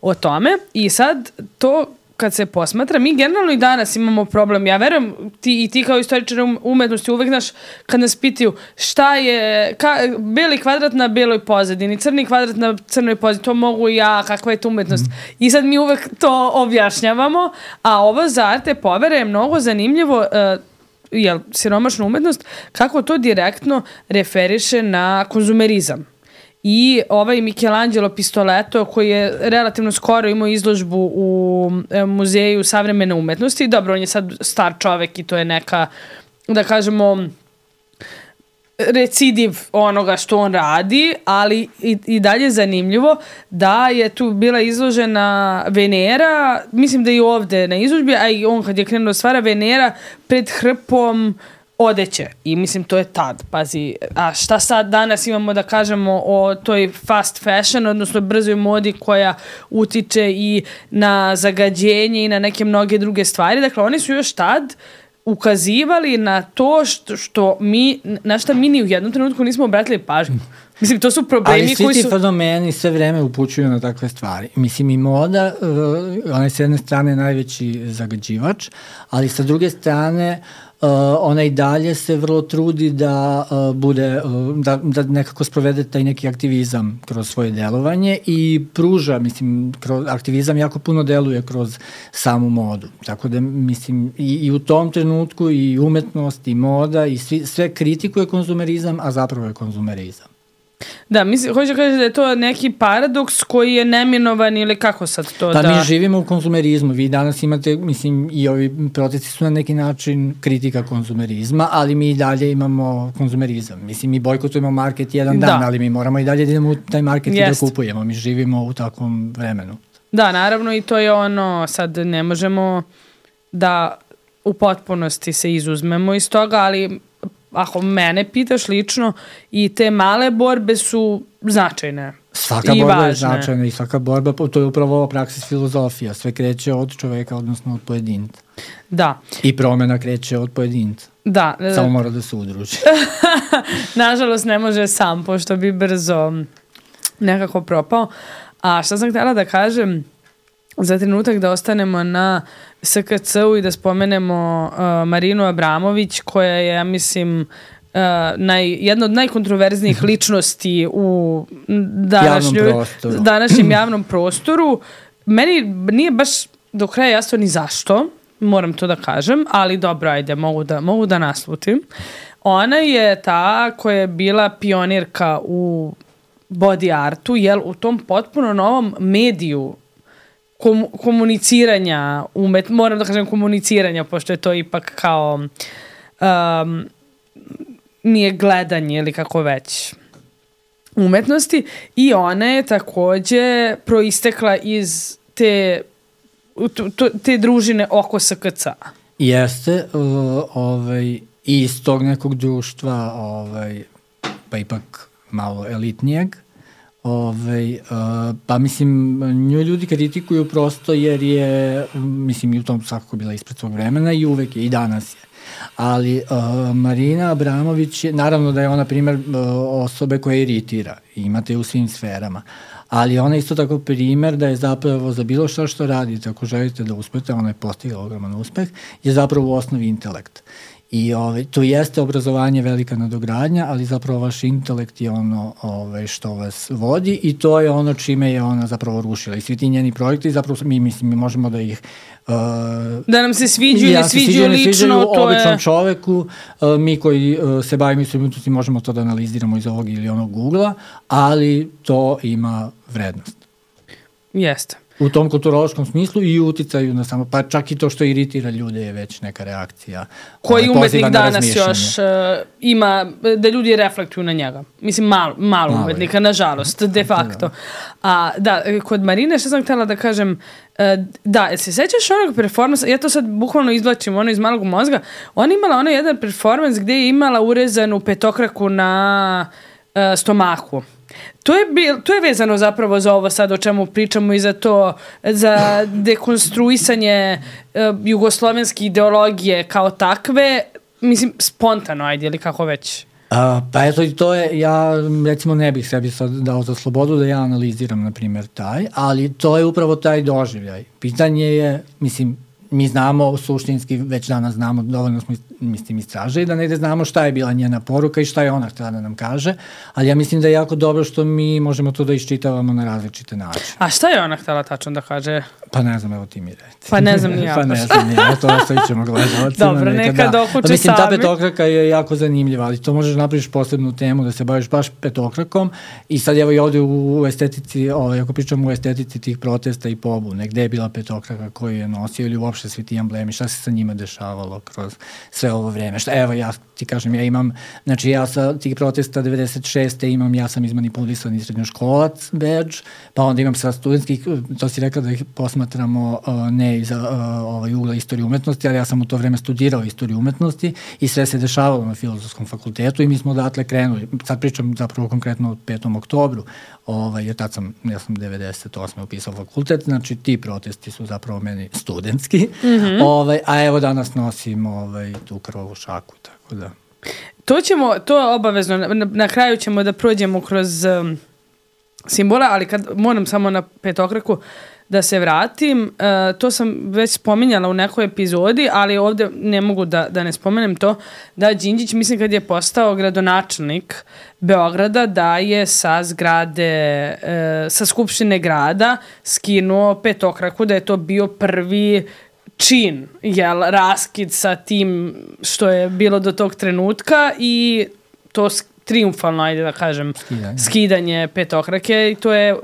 o tome i sad to kad se posmatra, mi generalno i danas imamo problem. Ja verujem, ti i ti kao istoričar umetnosti uvek, znaš, kad nas pitaju šta je ka, beli kvadrat na beloj pozadini, crni kvadrat na crnoj pozadini, to mogu ja, kakva je to umetnost. Mm. I sad mi uvek to objašnjavamo, a ovo za arte povere je mnogo zanimljivo, uh, jel, siromašna umetnost, kako to direktno referiše na konzumerizam. I ovaj Michelangelo Pistoletto, koji je relativno skoro imao izložbu u Muzeju savremene umetnosti, dobro, on je sad star čovek i to je neka, da kažemo, recidiv onoga što on radi, ali i, i dalje je zanimljivo da je tu bila izložena Venera, mislim da i ovde na izložbi, a i on kad je krenuo da stvara Venera pred hrpom odeće. I mislim, to je tad, pazi. A šta sad danas imamo da kažemo o toj fast fashion, odnosno brzoj modi koja utiče i na zagađenje i na neke mnoge druge stvari. Dakle, oni su još tad ukazivali na to što, što mi, na šta mi ni u jednom trenutku nismo obratili pažnju. Mislim, to su problemi koji su... Ali svi ti fenomeni sve vreme upućuju na takve stvari. Mislim, i moda, uh, ona je s jedne strane najveći zagađivač, ali sa druge strane Uh, ona i dalje se vrlo trudi da uh, bude, uh, da, da nekako sprovede taj neki aktivizam kroz svoje delovanje i pruža, mislim, kroz, aktivizam jako puno deluje kroz samu modu. Tako da, mislim, i, i u tom trenutku i umetnost i moda i svi, sve kritikuje konzumerizam, a zapravo je konzumerizam. Da, mislim, hoće kažeš da je to neki paradoks koji je neminovan ili kako sad to pa da... Pa mi živimo u konzumerizmu, vi danas imate, mislim, i ovi protesti su na neki način kritika konzumerizma, ali mi i dalje imamo konzumerizam. Mislim, mi bojkotujemo market jedan dan, da. Ali mi moramo i dalje da idemo u taj market Jest. I da kupujemo. Mi živimo u takvom vremenu. Da, naravno, i to je ono, sad ne možemo da u potpunosti se izuzmemo iz toga, ali ako mene pitaš lično, i te male borbe su značajne. Svaka borba važne. Je značajna i svaka borba, to je upravo ova praksis filozofija. Sve kreće od čoveka, odnosno od pojedinca. Da. I promena kreće od pojedinca. Da. Samo mora da se udruži. Nažalost, ne može sam, pošto bi brzo nekako propao. A šta sam htjela da kažem, za trenutak da ostanemo na S K C-u i da spomenemo uh, Marinu Abramović, koja je, ja mislim, uh, naj, jedna od najkontroverznijih ličnosti u današnjoj, današnjem javnom prostoru. Meni nije baš do kraja jasno ni zašto, moram to da kažem, ali dobro, ajde, mogu da, mogu da naslutim. Ona je ta koja je bila pionirka u body artu, jel, u tom potpuno novom mediju Kom, komuniciranja, umet, moram da kažem komuniciranja, pošto je to ipak kao um, nije gledanje ili kako već umetnosti, i ona je takođe proistekla iz te, te družine oko S K C-a. Jeste, uh, ovaj, i iz tog nekog društva, ovaj, pa ipak malo elitnijeg. Ove, uh, pa mislim, nju ljudi kritikuju prosto jer je, mislim, i u tom svakako bila ispred svog vremena i uvek je, i danas je. Ali uh, Marina Abramović je, naravno da je ona primer uh, osobe koja iritira, imate u svim sferama, ali ona je isto tako primer da je zapravo za bilo šta što radite, ako želite da uspete, ona je postigla ogroman uspeh, je zapravo u osnovi intelekt. I ovaj, to jeste obrazovanje velika nadogradnja, ali zapravo vaš intelekt je ono ovaj, što vas vodi i to je ono čime je ona zapravo rušila. I svi ti njeni projekti, zapravo mi, mislim, mi možemo da ih... Uh, da nam se sviđu ili ja, sviđaju lično, sviđaju to običnom je... čoveku, uh, mi koji uh, se bavimo istorijom umetnosti možemo to da analiziramo iz ovog ili onog Google-a, ali to ima vrednost. Jeste. U tom kulturološkom smislu i uticaju na samo, pa čak i to što iritira ljude je već neka reakcija. Koji umetnik danas još uh, ima, da ljudi reflektuju na njega. Mislim, malo, malo, malo umetnika, je. Nažalost, de facto. Da. A da, kod Marine, što sam htjela da kažem, uh, da, se sećaš onog performansa, ja to sad bukvalno izvlačim ono iz malog mozga, ona imala onaj jedan performans gde je imala urezanu petokraku na uh, stomaku. To je, bil, to je vezano zapravo za ovo sad o čemu pričamo i za to, za dekonstruisanje uh, jugoslovenske ideologije kao takve, mislim, spontano, ajde, ili kako već? A, pa eto, i to je, ja recimo ne bih sebi sad dao za slobodu da ja analiziram, na primjer, taj, ali to je upravo taj doživljaj. Pitanje je, mislim, mi znamo, suštinski već danas znamo, dovoljno smo mislim istražili, da negde znamo šta je bila njena poruka i šta je ona htjela da nam kaže, ali ja mislim da je jako dobro što mi možemo to da iščitavamo na različite načine. A šta je ona htjela tačno da kaže? Pa ne znam, evo ti mi reci. Pa ne znam ni ja. pa ne znam ni ja, to ostavit ćemo gledalcima. Dobro, neka da okuče pa, mislim, sami. Ta petokraka je jako zanimljiva, ali to možeš napraviš posebnu temu da se baviš baš petokrakom i sad evo i ovdje u, u estetici, ovaj, ako pričamo u estetici tih protesta i pobune, gde je bila petokraka koju je nosio ili uopšte svi ti emblemi, šta se sa njima dešavalo kroz sve ovo vreme. Šta, evo ja ti kažem, ja imam, znači ja sa tih protesta devedeset šeste imam, ja sam izmanipulisan i srednjoškolac badge, pa onda imam sa studentskih, to si rekla da ih posmatramo uh, ne iz uh, ovaj, ugla istorije umetnosti, ali ja sam u to vreme studirao istoriju umetnosti i sve se dešavalo na Filozofskom fakultetu i mi smo odatle krenuli. Sad pričam zapravo konkretno o petom oktobru, ovaj, jer tad sam, ja sam devedeset osme upisao fakultet, znači ti protesti su zapravo meni studentski, mm-hmm. ovaj, a evo danas nosim ovaj, tu krvavu šaku, tako da. To ćemo, to je obavezno, na, na kraju ćemo da prođemo kroz um, simbole, ali kad moram samo na petokraku da se vratim, uh, to sam već spominjala u nekoj epizodi, ali ovdje ne mogu da, da ne spomenem to, da Đinđić, mislim kad je postao gradonačelnik Beograda, da je sa zgrade, uh, sa skupštine grada skinuo petokraku, da je to bio prvi čin, jel, raskid sa tim što je bilo do tog trenutka i to triumfalno, ajde da kažem, skidanje, skidanje petokrake i to je,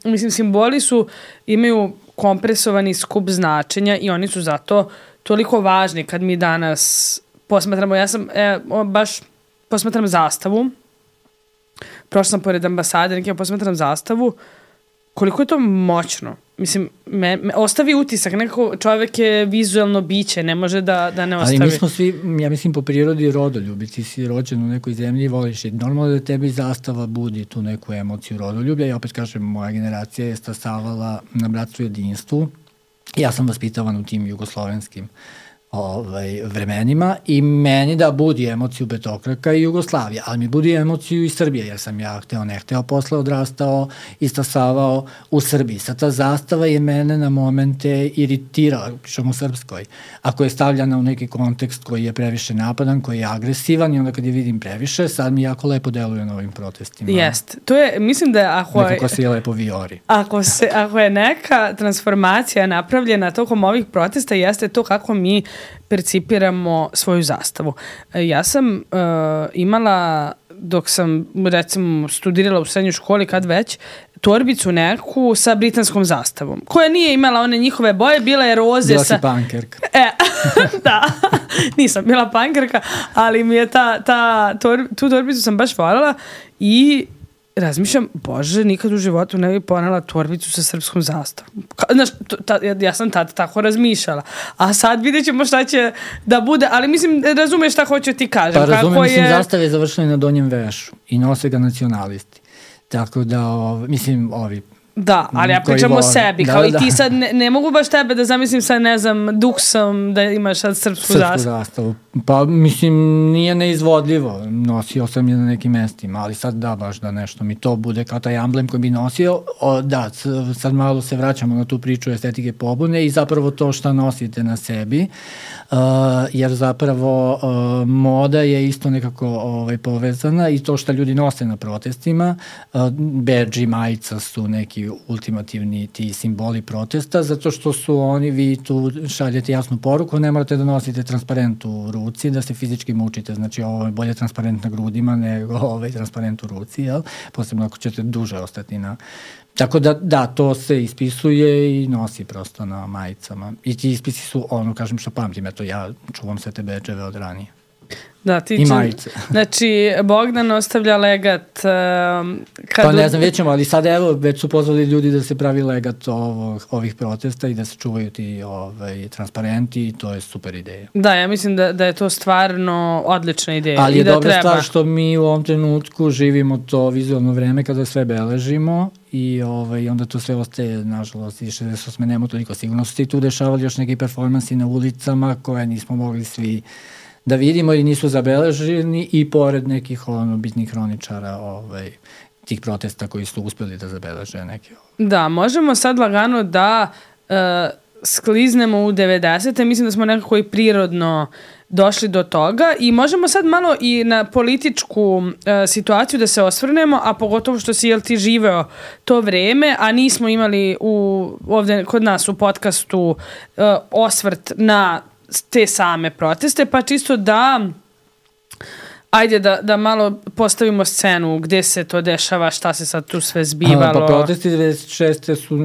mislim, simboli su, imaju kompresovani skup značenja i oni su zato toliko važni kad mi danas posmatramo, ja sam e, baš posmatram zastavu, prošla sam pored ambasade, nekaj posmatram zastavu, koliko je to moćno. Mislim, me, me ostavi utisak, nekako čovjek je vizualno biće, ne može da, da ne ostavi. Ali mi smo svi, ja mislim, po prirodi rodoljubi, ti si rođen u nekoj zemlji i voliš i normalno da tebi zastava budi tu neku emociju rodoljublja i opet kažem, moja generacija je stasavala na bratstvu jedinstvu. Ja sam vaspitavan u tim jugoslovenskim ovaj, vremenima i meni da budi emociju petokraka i Jugoslavija, ali mi budi emociju i Srbije, jer sam ja hteo ne hteo posle odrastao i stasavao u Srbiji. Sad ta zastava je mene na momente iritirala, pričam u Srpskoj, ako je stavljana u neki kontekst koji je previše napadan, koji je agresivan i onda kad je vidim previše, sad mi jako lepo deluje na ovim protestima. Jest. To je, mislim da je, ako je... Nekako se je lepo viori. Ako, se, ako je neka transformacija napravljena tokom ovih protesta, jeste to kako mi percipiramo svoju zastavu. Ja sam uh, imala, dok sam recimo studirala u srednjoj školi, kad već, torbicu neku sa britanskom zastavom, koja nije imala one njihove boje, bila je roze bila sa... Bila si pankerka. E, da, nisam bila pankerka, ali mi je ta, ta tor, tu torbicu sam baš voljela i razmišljam, bože, nikad u životu ne bih ponela torbicu sa srpskom zastavom. Znaš, ta, ja, ja sam tad tako razmišljala. A sad vidjet ćemo šta će da bude, ali mislim, razumeš šta hoću ti kažem. Pa razumem, kako mislim, je... zastave je završila na donjem vešu i nose ga nacionalisti. Tako da, ov, mislim, ovi... Da, ali ja pričam o sebi, da, kao da, i ti sad, ne, ne mogu baš tebe da zamislim sad, ne znam, duksom da imaš sad srpsku, srpsku zastavu. zastavu. Pa, mislim, nije neizvodljivo. Nosio sam je na nekim mestima, ali sad da, baš da nešto mi to bude kao taj amblem koji bi nosio. O, da, sad malo se vraćamo na tu priču estetike pobune i zapravo to šta nosite na sebi, uh, jer zapravo uh, moda je isto nekako ovaj, povezana i to šta ljudi nose na protestima. Uh, bedži, majica su neki ultimativni ti simboli protesta, zato što su oni, vi tu šaljete jasnu poruku, ne morate da nosite transparent u ruci, da se fizički mučite, znači ovo je bolje transparent na grudima nego ovaj transparent u ruci, jel? Posebno ako ćete duže ostati na... Tako da, da, to se ispisuje i nosi prosto na majicama. I ti ispisi su ono, kažem što pamtim, eto ja čuvam sve te bedževe od ranije. Da, ti I majice. Znači, Bogdan ostavlja legat... Uh, kad pa ne znam, već ćemo, ali sad evo, već su pozvali ljudi da se pravi legat ovog, ovih protesta i da se čuvaju ti ovaj, transparenti i to je super ideja. Da, ja mislim da, da je to stvarno odlična ideja. Ali je i da dobra treba. stvar što mi u ovom trenutku živimo to vizualno vreme kada sve beležimo i ovaj, onda to sve ostaje, nažalost, i šezdeset osme nema toliko. Sigurno su se i tu dešavali još neki performansi na ulicama koje nismo mogli svi da vidimo i nisu zabeleženi i pored nekih ono, bitnih hroničara ovaj, tih protesta koji su uspeli da zabeleže neke. Da, možemo sad lagano da uh, skliznemo u devedesete. Mislim da smo nekako i prirodno došli do toga i možemo sad malo i na političku uh, situaciju da se osvrnemo, a pogotovo što si, jel ti živeo to vreme, a nismo imali u, ovde kod nas u podcastu uh, osvrt na te same proteste, pa čisto da ajde da, da malo postavimo scenu gde se to dešava, šta se sad tu sve zbivalo. Pa protesti devedeset šeste su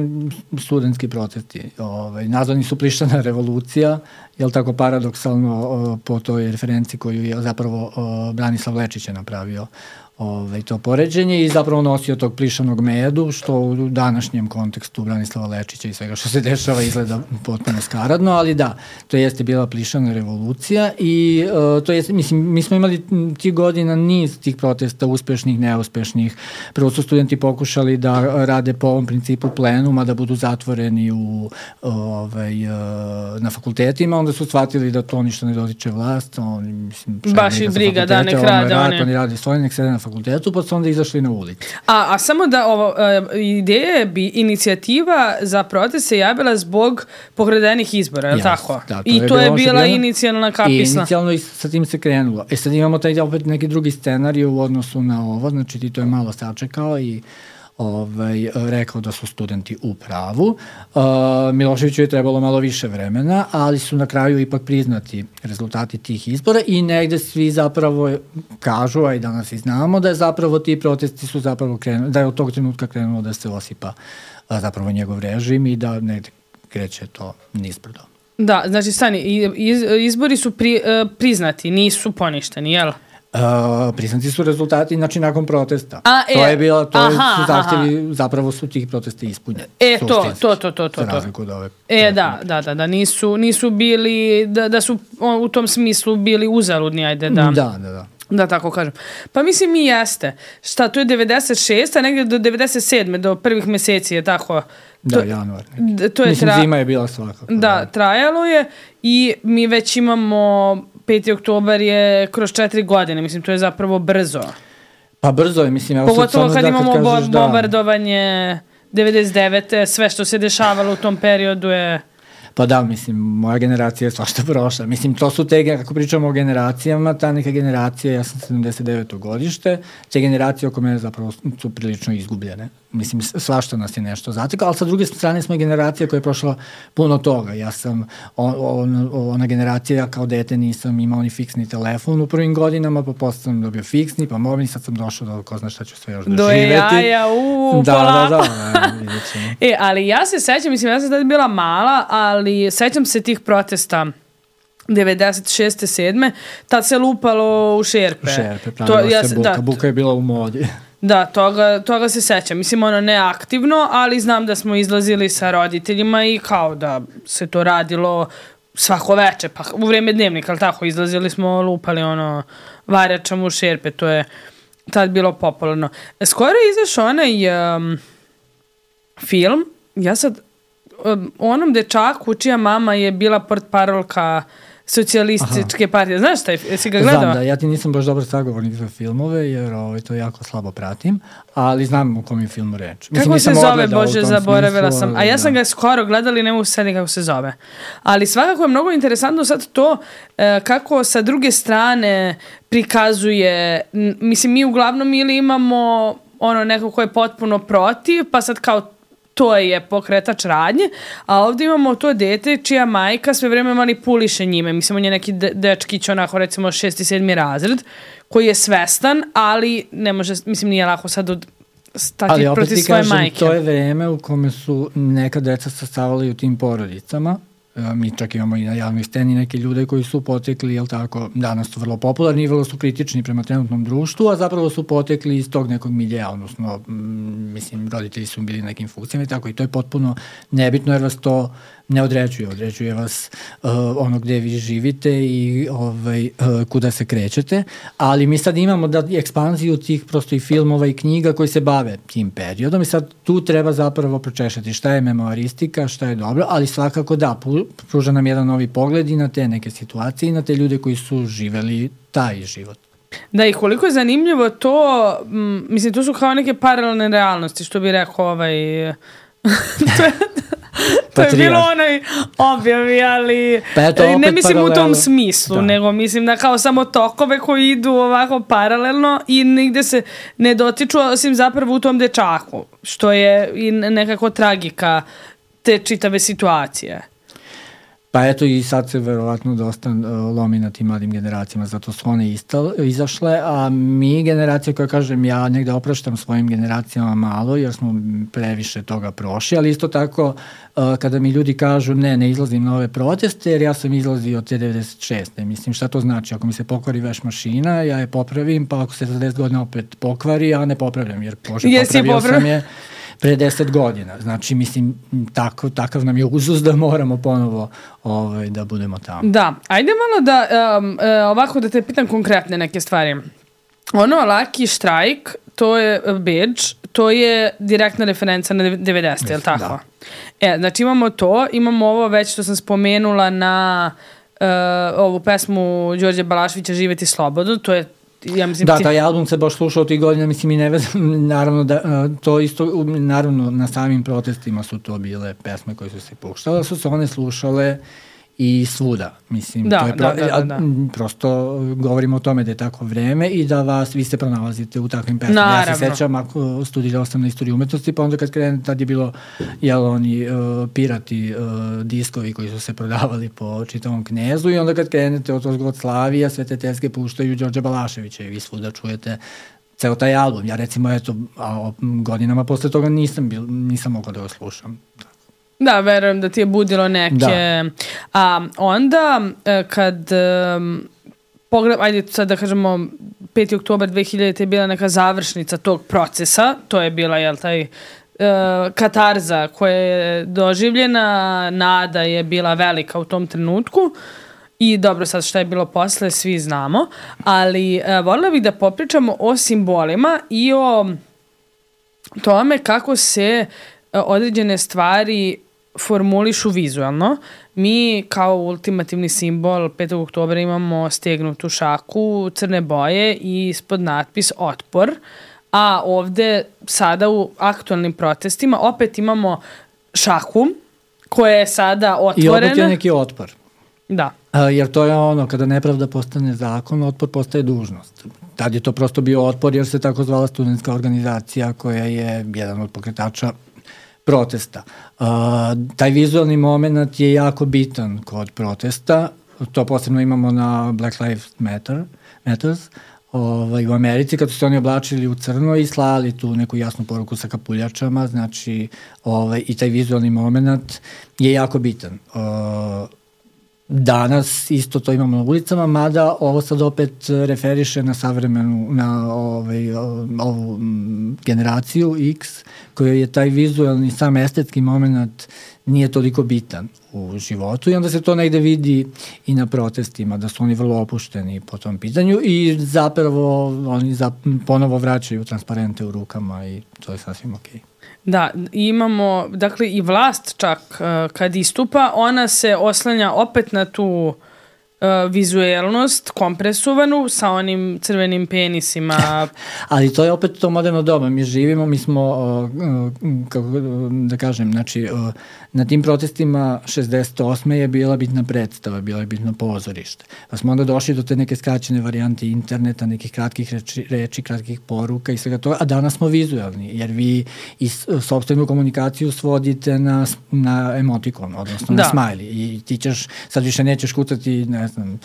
studentski protesti. Ovaj, nazvani su Plišana revolucija, jel tako paradoksalno po toj referenciji koju je zapravo Branislav Lečić je napravio Ove, to poređenje i zapravo nosio tog plišanog medu, što u današnjem kontekstu Branislava Lečića i svega što se dešava izgleda potpuno skaradno, ali da, to jeste bila plišana revolucija i uh, to jest, mislim, mi smo imali tih godina niz tih protesta, uspešnih, neuspešnih. Prvo su studenti pokušali da rade po ovom principu plenuma, da budu zatvoreni u, ovaj, uh, na fakultetima, onda su shvatili da to ništa ne dotiče vlast, oni, mislim, baš i briga, da, nek rade oni. Oni rade svoje, nek sede na fakultetu, pa su onda izašli na ulici. A, a samo da ovo, uh, ideje bi inicijativa za protest se javila zbog pokradenih izbora, je li yes, tako? Da, to I je to je bila bilo, inicijalna kapisla. I inicijalno i sa tim se krenulo. E sad imamo taj opet neki drugi scenarij u odnosu na ovo, znači ti to je malo sačekao i ovaj, rekao da su studenti u pravu. Uh, Miloševiću je trebalo malo više vremena, ali su na kraju ipak priznati rezultati tih izbora i negde svi zapravo kažu, a i danas i znamo, da je zapravo ti protesti su zapravo krenuli, da je od tog trenutka krenulo da se osipa a, zapravo njegov režim i da negde kreće to nizbrdo. Da, znači stani, iz, izbori su pri, priznati, nisu poništeni, jel? Uh, priznati su rezultati, znači nakon protesta. A, to e, je bilo, to aha, su zahtjevi, zapravo su tih protesta ispunjeni. E, to, to, to, to, to. Za razliku od ove. E, da, da, da, da, nisu, nisu bili, da, da su u tom smislu bili uzaludni, ajde, da. Da, da, da. Da, tako kažem. Pa mislim i jeste. Šta, to je devedeset šeste, a negdje do devedeset sedme, do prvih meseci je tako. Da, to, januar. To je mislim, tra... zima je bila svakako. Da, da, trajalo je i mi već imamo peti oktobar je kroz četiri godine. Mislim, to je zapravo brzo. Pa brzo je, mislim. Pogotovo kad da, imamo kad kažeš, bo- bombardovanje devedeset devete sve što se dešavalo u tom periodu je... Pa da, mislim, moja generacija je svašta prošla. Mislim, to su te, ako pričamo o generacijama, ta neka generacija, ja sam sedamdeset deveto godište, te generacije oko mene zapravo su prilično izgubljene. Mislim, svašta nas je nešto zatekao, ali sa druge strane smo generacija koja je prošla puno toga. Ja sam, on, on, ona generacija, ja kao dete nisam imao ni fiksni telefon u prvim godinama, pa posle sam dobio fiksni, pa mobilni, sad sam došao do ko zna šta ću sve još do doživeti. Do jaja, uuu, da, polako. Da, da, da, vidjet ćemo. E, ali ja se sećam, mislim, ja sam tada bila mala, ali sećam se tih protesta devedeset šeste sedme Tad se lupalo u šerpe. U šerpe, pravila to, ja se buka. Da, buka je bila u modi. Da, toga, toga se sećam. Mislim, ono, neaktivno, ali znam da smo izlazili sa roditeljima i kao da se to radilo svako veče, pa u vreme dnevnika, ali tako, izlazili smo, lupali, ono, varjačama u šerpe, to je tad bilo popularno. Skoro je izašao onaj um, film, ja sad, um, onom dečaku čija mama je bila portparolka socijalističke Aha. partije. Znaš šta, jesi ga gledao? Znam da, ja ti nisam baš dobar sagovornik za filmove, jer ovaj, to jako slabo pratim, ali znam o kom je filmu reč. Mislim, kako se zove, Bože, zaboravila sam. A ja sam ga skoro gledala i ne mogu se sediti kako se zove. Ali svakako je mnogo interesantno sad to e, kako sa druge strane prikazuje, mislim, mi uglavnom ili imamo ono neko ko je potpuno protiv, pa sad kao to je pokretač radnje, a ovdje imamo to dete čija majka sve vreme manipuliše njime. Mislim, on je neki de- dečkić, onako recimo šesti, sedmi razred, koji je svestan, ali ne može, mislim, nije lako sad od stati protiv svoje majke. Ali opet ti kažem, to je vreme u kome su neka deca sastavali u tim porodicama. Mi čak imamo i na javnoj sceni neke ljude koji su potekli, jel tako, danas su vrlo popularni i vrlo su kritični prema trenutnom društvu, a zapravo su potekli iz tog nekog miljeja, odnosno, m, mislim, roditelji su bili nekim funkcijama i tako, i to je potpuno nebitno jer vas to ne određuje, određuje vas uh, ono gde vi živite i ovaj, uh, kuda se krećete, ali mi sad imamo da ekspanziju tih prosto i filmova i knjiga koji se bave tim periodom i sad tu treba zapravo pročešati šta je memoaristika, šta je dobro, ali svakako da, pruža nam jedan novi pogled i na te neke situacije i na te ljude koji su živeli taj život. Da, i koliko je zanimljivo to, m, mislim, to su kao neke paralelne realnosti, što bi rekao ovaj... to je... To je bilo onaj objavi, ali pa eto, ne mislim paralel... u tom smislu, da. nego mislim da kao samo tokove koji idu ovako paralelno i nigde se ne dotiču, osim zapravo u tom dečaku, što je i nekako tragika te čitave situacije. Pa eto i sad se verovatno dosta uh, lomi na tim mladim generacijama, zato su one istal, izašle, a mi generacija koja kažem ja negde opraštam svojim generacijama malo jer smo previše toga prošli, ali isto tako uh, kada mi ljudi kažu ne, ne izlazim na ove proteste jer ja sam izlazio od te devedeset šeste. Mislim šta to znači? Ako mi se pokvari veš mašina, ja je popravim, pa ako se za deset godina opet pokvari, ja ne popravljam jer pože popravio poprav... sam je pre deset godina. Znači, mislim, tako, takav nam je uzus da moramo ponovo ovaj, da budemo tamo. Da, ajde malo da, um, uh, ovako da te pitam konkretne neke stvari. Ono, Laki štrajk, to je badge, to je direktna referenca na devedesete, je li tako? Da. E, znači imamo to, imamo ovo već što sam spomenula na uh, ovu pesmu Đorđe Balaševića Živeti slobodno, to je ja mislim, da, ti... taj album se baš slušao tih godina, mislim i ne vezam, naravno da to isto, naravno na samim protestima su to bile pesme koje su se puštale, su se one slušale i svuda, mislim, da, to je pro, da, da, da, da. prosto govorimo o tome da je tako vreme i da vas, vi se pronalazite u takvim pesmama. Ja se sećam, ako studirao sam na istoriji umetnosti, pa onda kad krenem, tad je bilo, jel, oni uh, pirati uh, diskovi koji su se prodavali po čitavom Knezu i onda kad krenete od Ozgod Slavija, sve te teske puštaju Đorđe Balaševića i vi svuda čujete ceo taj album. Ja recimo, eto, a, godinama posle toga nisam, bil, nisam mogao da ga slušam. Da, verujem da ti je budilo neke... Da. A onda, kad... Pogled, ajde sad da kažemo, peti oktobar dve hiljadite je bila neka završnica tog procesa. To je bila, jel, taj uh, katarza koja je doživljena. Nada je bila velika u tom trenutku. I dobro, sad šta je bilo posle, svi znamo. Ali uh, voljela bih da popričamo o simbolima i o tome kako se uh, određene stvari formulišu vizualno. Mi kao ultimativni simbol petog oktobra imamo stegnutu šaku crne boje i ispod natpis otpor, a ovde sada u aktualnim protestima opet imamo šaku koja je sada otvorena. I opet je neki otpor. Da. A, jer to je ono, kada nepravda postane zakon, otpor postaje dužnost. Tad je to prosto bio otpor jer se tako zvala studentska organizacija koja je jedan od pokretača protesta. Uh, taj vizualni moment je jako bitan kod protesta. To posebno imamo na Black Lives Matter, Matters ovaj, u Americi, kad su se oni oblačili u crno i slali tu neku jasnu poruku sa kapuljačama, znači ovaj, i taj vizualni moment je jako bitan. Uh, Danas isto to imamo na ulicama, mada ovo sad opet referiše na savremenu, na ovaj, ovu generaciju X, koja je taj vizualni, sam estetski moment nije toliko bitan u životu i onda se to negde vidi i na protestima, da su oni vrlo opušteni po tom pitanju i zapravo oni za, ponovo vraćaju transparente u rukama i to je sasvim okej. Da, imamo, dakle, i vlast čak uh, kad istupa, ona se oslanja opet na tu uh, vizuelnost kompresovanu sa onim crvenim penisima. Ali to je opet to moderno doba. Mi živimo, mi smo, uh, uh, kako da kažem, znači, uh, na tim protestima šezdeset osme je bila bitna predstava, bila je bitno pozorište. Pa smo onda došli do te neke skraćene varijante interneta, nekih kratkih reči, reči kratkih poruka i svega toga, a danas smo vizualni, jer vi i sopstvenu komunikaciju svodite na, na emotikon, odnosno da. na smiley. I ti ćeš, sad više nećeš kucati, ne znam,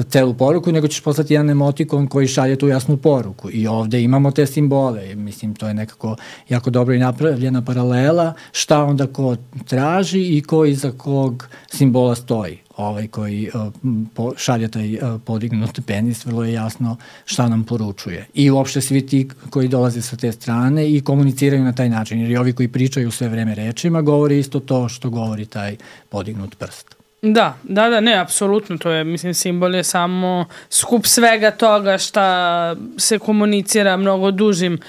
celu poruku, nego ćeš poslati jedan emotikon koji šalje tu jasnu poruku. I ovde imamo te simbole. Mislim, to je nekako jako dobro i napravljena paralela šta onda ko traži i ko iza kog simbola stoji. Ovaj koji uh, po, šalje taj uh, podignut penis, vrlo je jasno šta nam poručuje. I uopšte svi ti koji dolaze sa te strane i komuniciraju na taj način. Jer i ovi koji pričaju sve vreme rečima govori isto to što govori taj podignut prst. Da, da, da, ne, apsolutno, to je, mislim, simbol je samo skup svega toga šta se komunicira mnogo dužim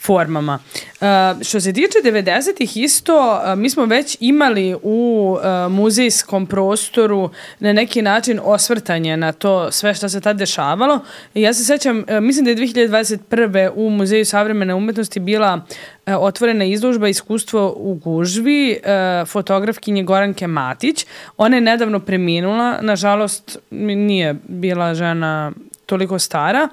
formama. Uh, što se tiče devedesetih isto, uh, mi smo već imali u uh, muzejskom prostoru na neki način osvrtanje na to sve što se tad dešavalo. I ja se sećam, uh, mislim da je dve hiljade dvadeset prve u Muzeju savremene umetnosti bila uh, otvorena izložba Iskustvo u gužvi uh, fotografkinje Goranke Matić. Ona je nedavno preminula, nažalost nije bila žena toliko stara,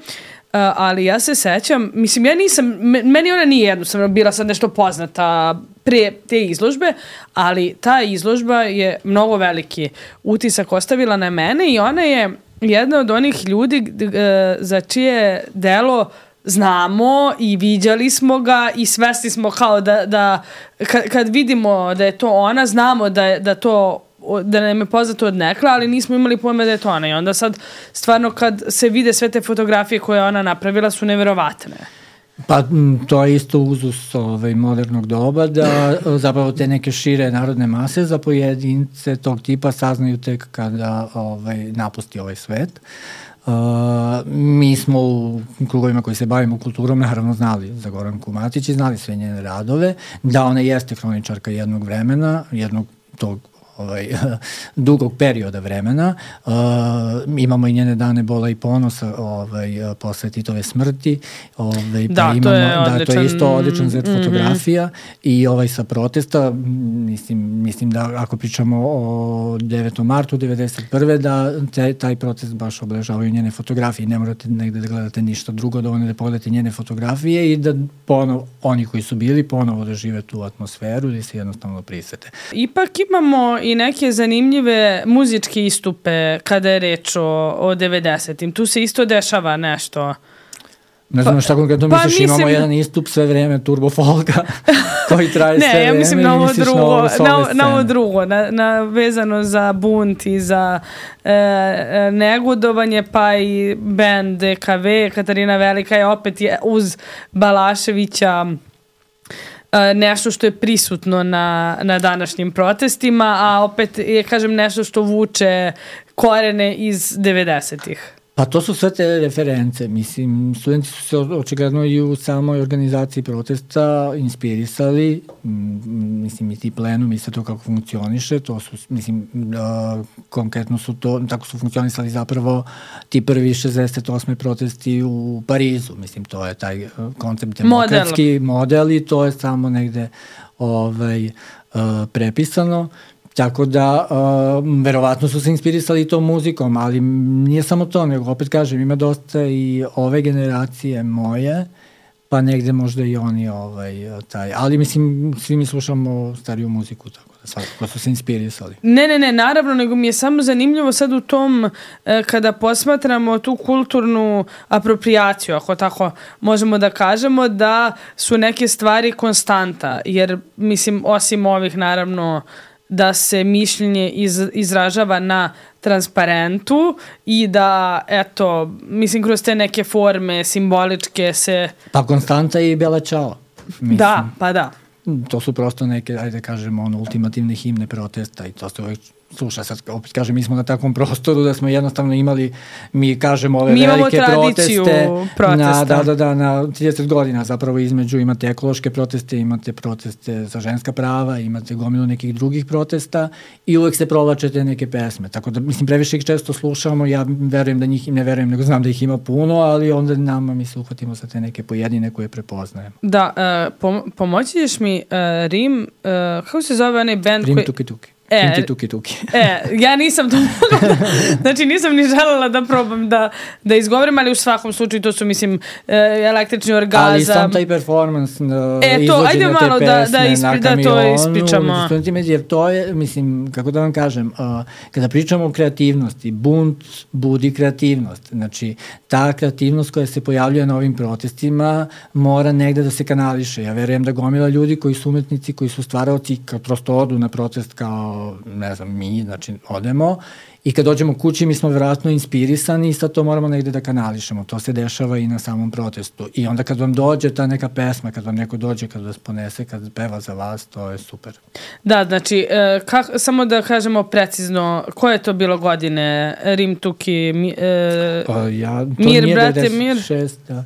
Uh, ali ja se sećam, mislim, ja nisam, meni ona nije jednostavno bila sad nešto poznata pre te izložbe, ali ta izložba je mnogo veliki utisak ostavila na mene i ona je jedna od onih ljudi uh, za čije delo znamo i viđali smo ga i svesni smo kao da, da kad, kad vidimo da je to ona, znamo da, da to da nam je poznato od nekla, ali nismo imali pojma da je to ona. I onda sad, stvarno, kad se vide sve te fotografije koje ona napravila, su neverovatne. Pa to je isto uzus ovaj, modernog doba, da zapravo te neke šire narodne mase za pojedince tog tipa saznaju tek kada ovaj, napusti ovaj svet. Uh, mi smo u krugovima koji se bavimo kulturom naravno znali za Goranku Matić i znali sve njene radove, da ona jeste hroničarka jednog vremena, jednog tog ovaj, dugog perioda vremena. Uh, imamo i njene dane bola i ponosa ovaj, posle Titove smrti. Ovaj, da, pa imamo, to je da, odličan, to je isto odličan zet mm-hmm. fotografija i ovaj sa protesta, mislim, mislim da ako pričamo o devetom martu devedeset prve da te, taj protest baš obeležavaju njene fotografije. Ne morate negde da gledate ništa drugo, dovoljno da pogledate njene fotografije i da ponovo, oni koji su bili, ponovo da žive tu atmosferu i se jednostavno prisete. Ipak imamo i neke zanimljive muzičke istupe kada je reč o, o devedesetim. Tu se isto dešava nešto. Ne znam pa, šta konkretno pa misliš, mislim, imamo jedan istup sve vreme turbo folka koji traje sve vreme. Ne, ja mislim na ovo drugo, na, na, na ovo drugo, na, na vezano za bunt i za e, negodovanje, pa i band D K V, Katarina Velika je opet je uz Balaševića nešto što je prisutno na, na današnjim protestima, a opet je, kažem, nešto što vuče korene iz devedesetih. Pa to su sve te reference. Mislim, studenti su se očigledno i u samoj organizaciji protesta inspirisali, mislim, i ti plenum i sve to kako funkcioniše, to su, mislim, uh, konkretno su to, tako su funkcionisali zapravo ti prvi šezdeset osme protesti u Parizu, mislim, to je taj koncept demokratski model, model i to je samo negde ovaj, uh, prepisano. Tako da, uh, verovatno su se inspirisali tom muzikom, ali nije samo to, nego opet kažem, ima dosta i ove generacije moje, pa negde možda i oni ovaj, taj, ali mislim, svi mi slušamo stariju muziku, tako da svakako su se inspirisali. Ne, ne, ne, naravno, nego mi je samo zanimljivo sad u tom, eh, kada posmatramo tu kulturnu apropriaciju, ako tako možemo da kažemo, da su neke stvari konstanta, jer, mislim, osim ovih, naravno, da se mišljenje iz, izražava na transparentu i da, eto, mislim, kroz te neke forme simboličke se... Pa konstanta i Bela Ćao. Mislim, da, pa da. To su prosto neke, ajde kažemo, ono, ultimativne himne protesta i to se uvek sluša, sad opet kažem, mi smo na takvom prostoru da smo jednostavno imali, mi kažemo ove mi velike proteste, protesta. Na, da, da, da, na trideset godina zapravo između imate ekološke proteste, imate proteste za ženska prava, imate gomilu nekih drugih protesta i uvek se provlačete neke pesme, tako da, mislim, previše ih često slušamo, ja verujem da njih, ne verujem, nego znam da ih ima puno, ali onda nama mi se uhvatimo sa te neke pojedine koje prepoznajemo. Da, uh, pom pomoći ćeš mi uh, Rim, uh, kako se zove onaj band Rim koji... Tuki Tuki. E, Tuki Tuki Tuki. e, ja nisam to mogla, znači nisam ni želela da probam da, da izgovorim, ali u svakom slučaju to su, mislim, električni orgazam. Ali sam taj performance, e, to, ajde malo te da, pesme da, ispri, na kamionu, da to ispričamo. Jer to je, mislim, kako da vam kažem, uh, kada pričamo o kreativnosti, bunt budi kreativnost. Znači, ta kreativnost koja se pojavljuje na ovim protestima mora negde da se kanališe. Ja verujem da gomila ljudi koji su umetnici, koji su stvaraoci, kao prosto odu na protest kao ne znam, mi, znači, odemo i kad dođemo kući mi smo vjerojatno inspirisani i sad to moramo negde da kanališemo. To se dešava i na samom protestu. I onda kad vam dođe ta neka pesma, kad vam neko dođe, kad vas ponese, kad peva za vas, to je super. Da, znači, e, kak, samo da kažemo precizno, koje je to bilo godine? Rim Tuki, mi, e, o, ja, to Mir, nije brate, devedeset šest, Mir. Da.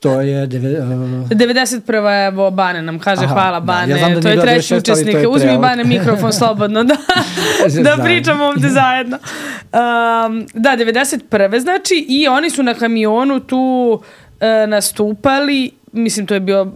To je... Deve, uh... devedeset prva evo Bane nam kaže. Aha, hvala Bane, da, ja da to je treći učesnik. Uzmi Bane mikrofon slobodno da, da pričamo ovde zajedno. Um, da, devedeset prve znači i oni su na kamionu tu uh, nastupali, mislim to je bio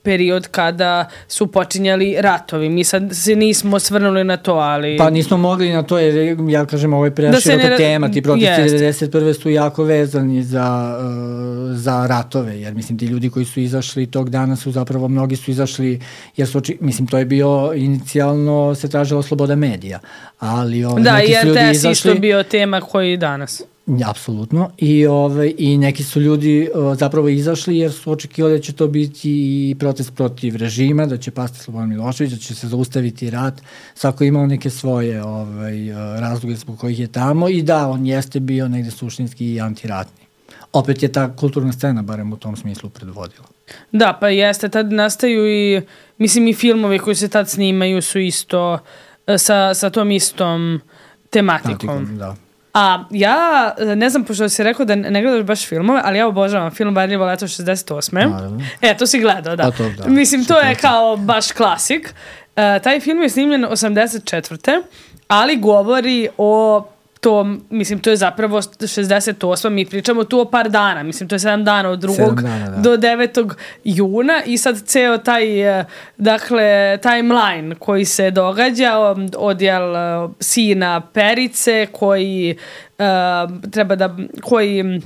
period kada su počinjali ratovi. Mi sad se nismo svrnuli na to, ali... Pa nismo mogli na to, jer ja kažem, ovo je preširoka ne... tema. Ti protesti devedeset prve su jako vezani za, uh, za ratove, jer mislim ti ljudi koji su izašli tog dana su zapravo, mnogi su izašli, jer su, mislim, to je bio inicijalno, se tražila sloboda medija. Ali ovaj, da, neki jer su ljudi izašli... izašli... isto bio tema koji danas. Apsolutno. I, ove, I neki su ljudi o, zapravo izašli jer su očekivali da će to biti i protest protiv režima, da će pasti Slobodan Milošević, da će se zaustaviti rat. Svako imao neke svoje ovaj, razloge zbog kojih je tamo i da, on jeste bio negde suštinski i antiratni. Opet je ta kulturna scena, barem u tom smislu, predvodila. Da, pa jeste. Tad nastaju i, mislim, i filmovi koji se tad snimaju su isto sa, sa tom istom tematikom. Tematikom, da. A ja, ne znam, pošto si rekao da ne gledaš baš filmove, ali ja obožavam film Varljivo leto šezdeset osme. Naravno. E, to si gledao, da. To, da. Mislim, to je kao baš klasik. Uh, taj film je snimljen osamdeset četvrte ali govori o to, mislim, to je zapravo šezdeset osma Mi pričamo tu o par dana. Mislim, to je sedam dana od drugog dana, da. do devetog juna i sad ceo taj, dakle, timeline koji se događa, odjel sina Perice koji uh, treba da, koji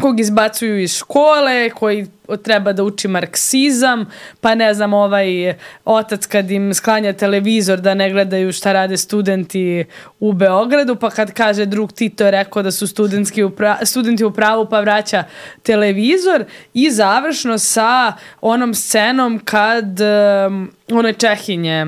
kog izbacuju iz škole, koji treba da uči marksizam, pa ne znam, ovaj otac kad im sklanja televizor da ne gledaju šta rade studenti u Beogradu, pa kad kaže drug Tito je rekao da su studentski u pra- studenti u pravu, pa vraća televizor i završno sa onom scenom kad um, one Čehinje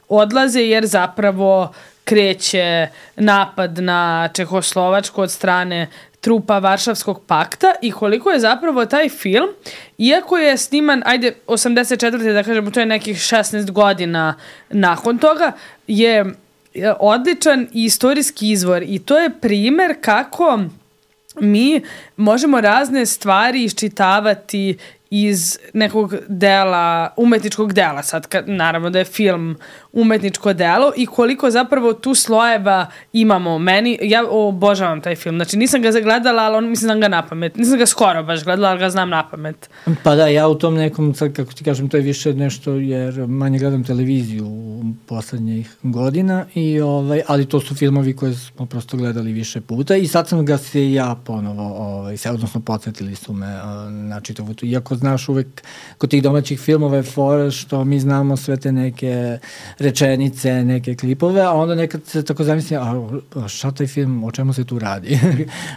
odlaze jer zapravo kreće napad na Čehoslovačku od strane trupa Varšavskog pakta i koliko je zapravo taj film, iako je sniman, ajde, osamdeset četvrte da kažemo, to je nekih šesnaest godina nakon toga, je odličan i istorijski izvor i to je primer kako mi možemo razne stvari iščitavati iz nekog dela, umetničkog dela, sad kad, naravno da je film umetničko delo i koliko zapravo tu slojeva imamo. Meni, ja obožavam taj film, znači nisam ga zagledala, ali on, mislim, znam ga napamet. Nisam ga skoro baš gledala, ali ga znam napamet. Pa da, ja u tom nekom, sad kako ti kažem, to je više nešto, jer manje gledam televiziju u poslednjih godina, i ovaj, ali to su filmovi koje smo prosto gledali više puta i sad sam ga se ja ponovo, ovaj, se, odnosno podsjetili su me na čitavu tu, iako znaš uvek kod tih domaćih filmova je fora što mi znamo sve te neke rečenice, neke klipove, a onda nekad se tako zamisli, a šta taj film, o čemu se tu radi?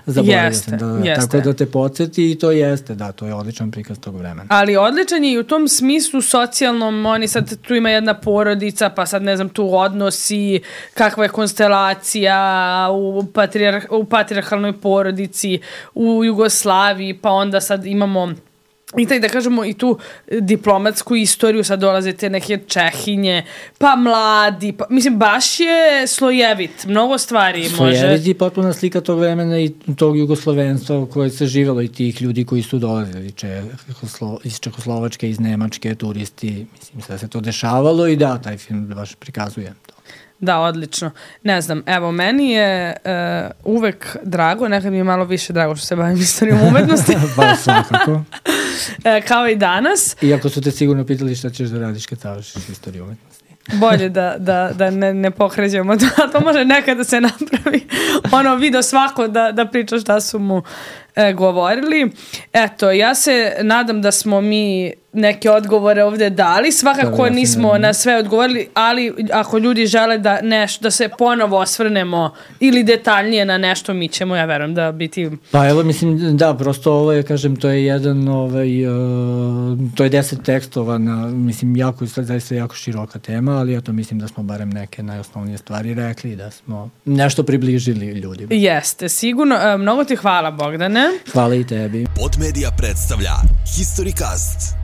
Zaboravio sam da, jeste. Tako da te podsjeti i to jeste, da, to je odličan prikaz tog vremena. Ali odličan je i u tom smislu socijalnom, oni sad tu ima jedna porodica, pa sad ne znam, tu odnosi, kakva je konstelacija u, patrijar, u patrijarhalnoj porodici, u Jugoslaviji, pa onda sad imamo i taj, da kažemo, i tu diplomatsku istoriju, sad dolaze te neke Čehinje, pa mladi, pa, mislim, baš je slojevit, mnogo stvari može. Slojevit je potpuna slika tog vremena i tog jugoslovenstva koje se živjelo i tih ljudi koji su dolazili Čehoslo, iz Čehoslovačke, iz Nemačke, turisti, mislim, sve se to dešavalo i da, taj film baš prikazuje to. Da, odlično. Ne znam, evo, meni je uh, uvek drago, nekad mi je malo više drago što se bavim istorijom umetnosti. Ba, svakako. e, kao i danas. Iako su te sigurno pitali šta ćeš da radiš kad završiš istoriju umetnosti. Bolje da, da, da ne, ne pokrećemo to, to može nekad da se napravi ono video svako da, da priča šta su mu e, govorili. Eto, ja se nadam da smo mi neke odgovore ovde dali, svakako da, nismo na sve odgovorili, ali ako ljudi žele da, neš, da se ponovo osvrnemo ili detaljnije na nešto, mi ćemo, ja verujem, da biti... Pa evo, mislim, da, prosto ovo je, kažem, to je jedan, ovaj, uh, to je deset tekstova na, mislim, jako, zaista jako široka tema, ali eto, mislim da smo barem neke najosnovnije stvari rekli, da smo nešto približili ljudima. Jeste, sigurno. E, mnogo ti hvala, Bogdane. Hvala i tebi. Podmedia predstavlja Historycast.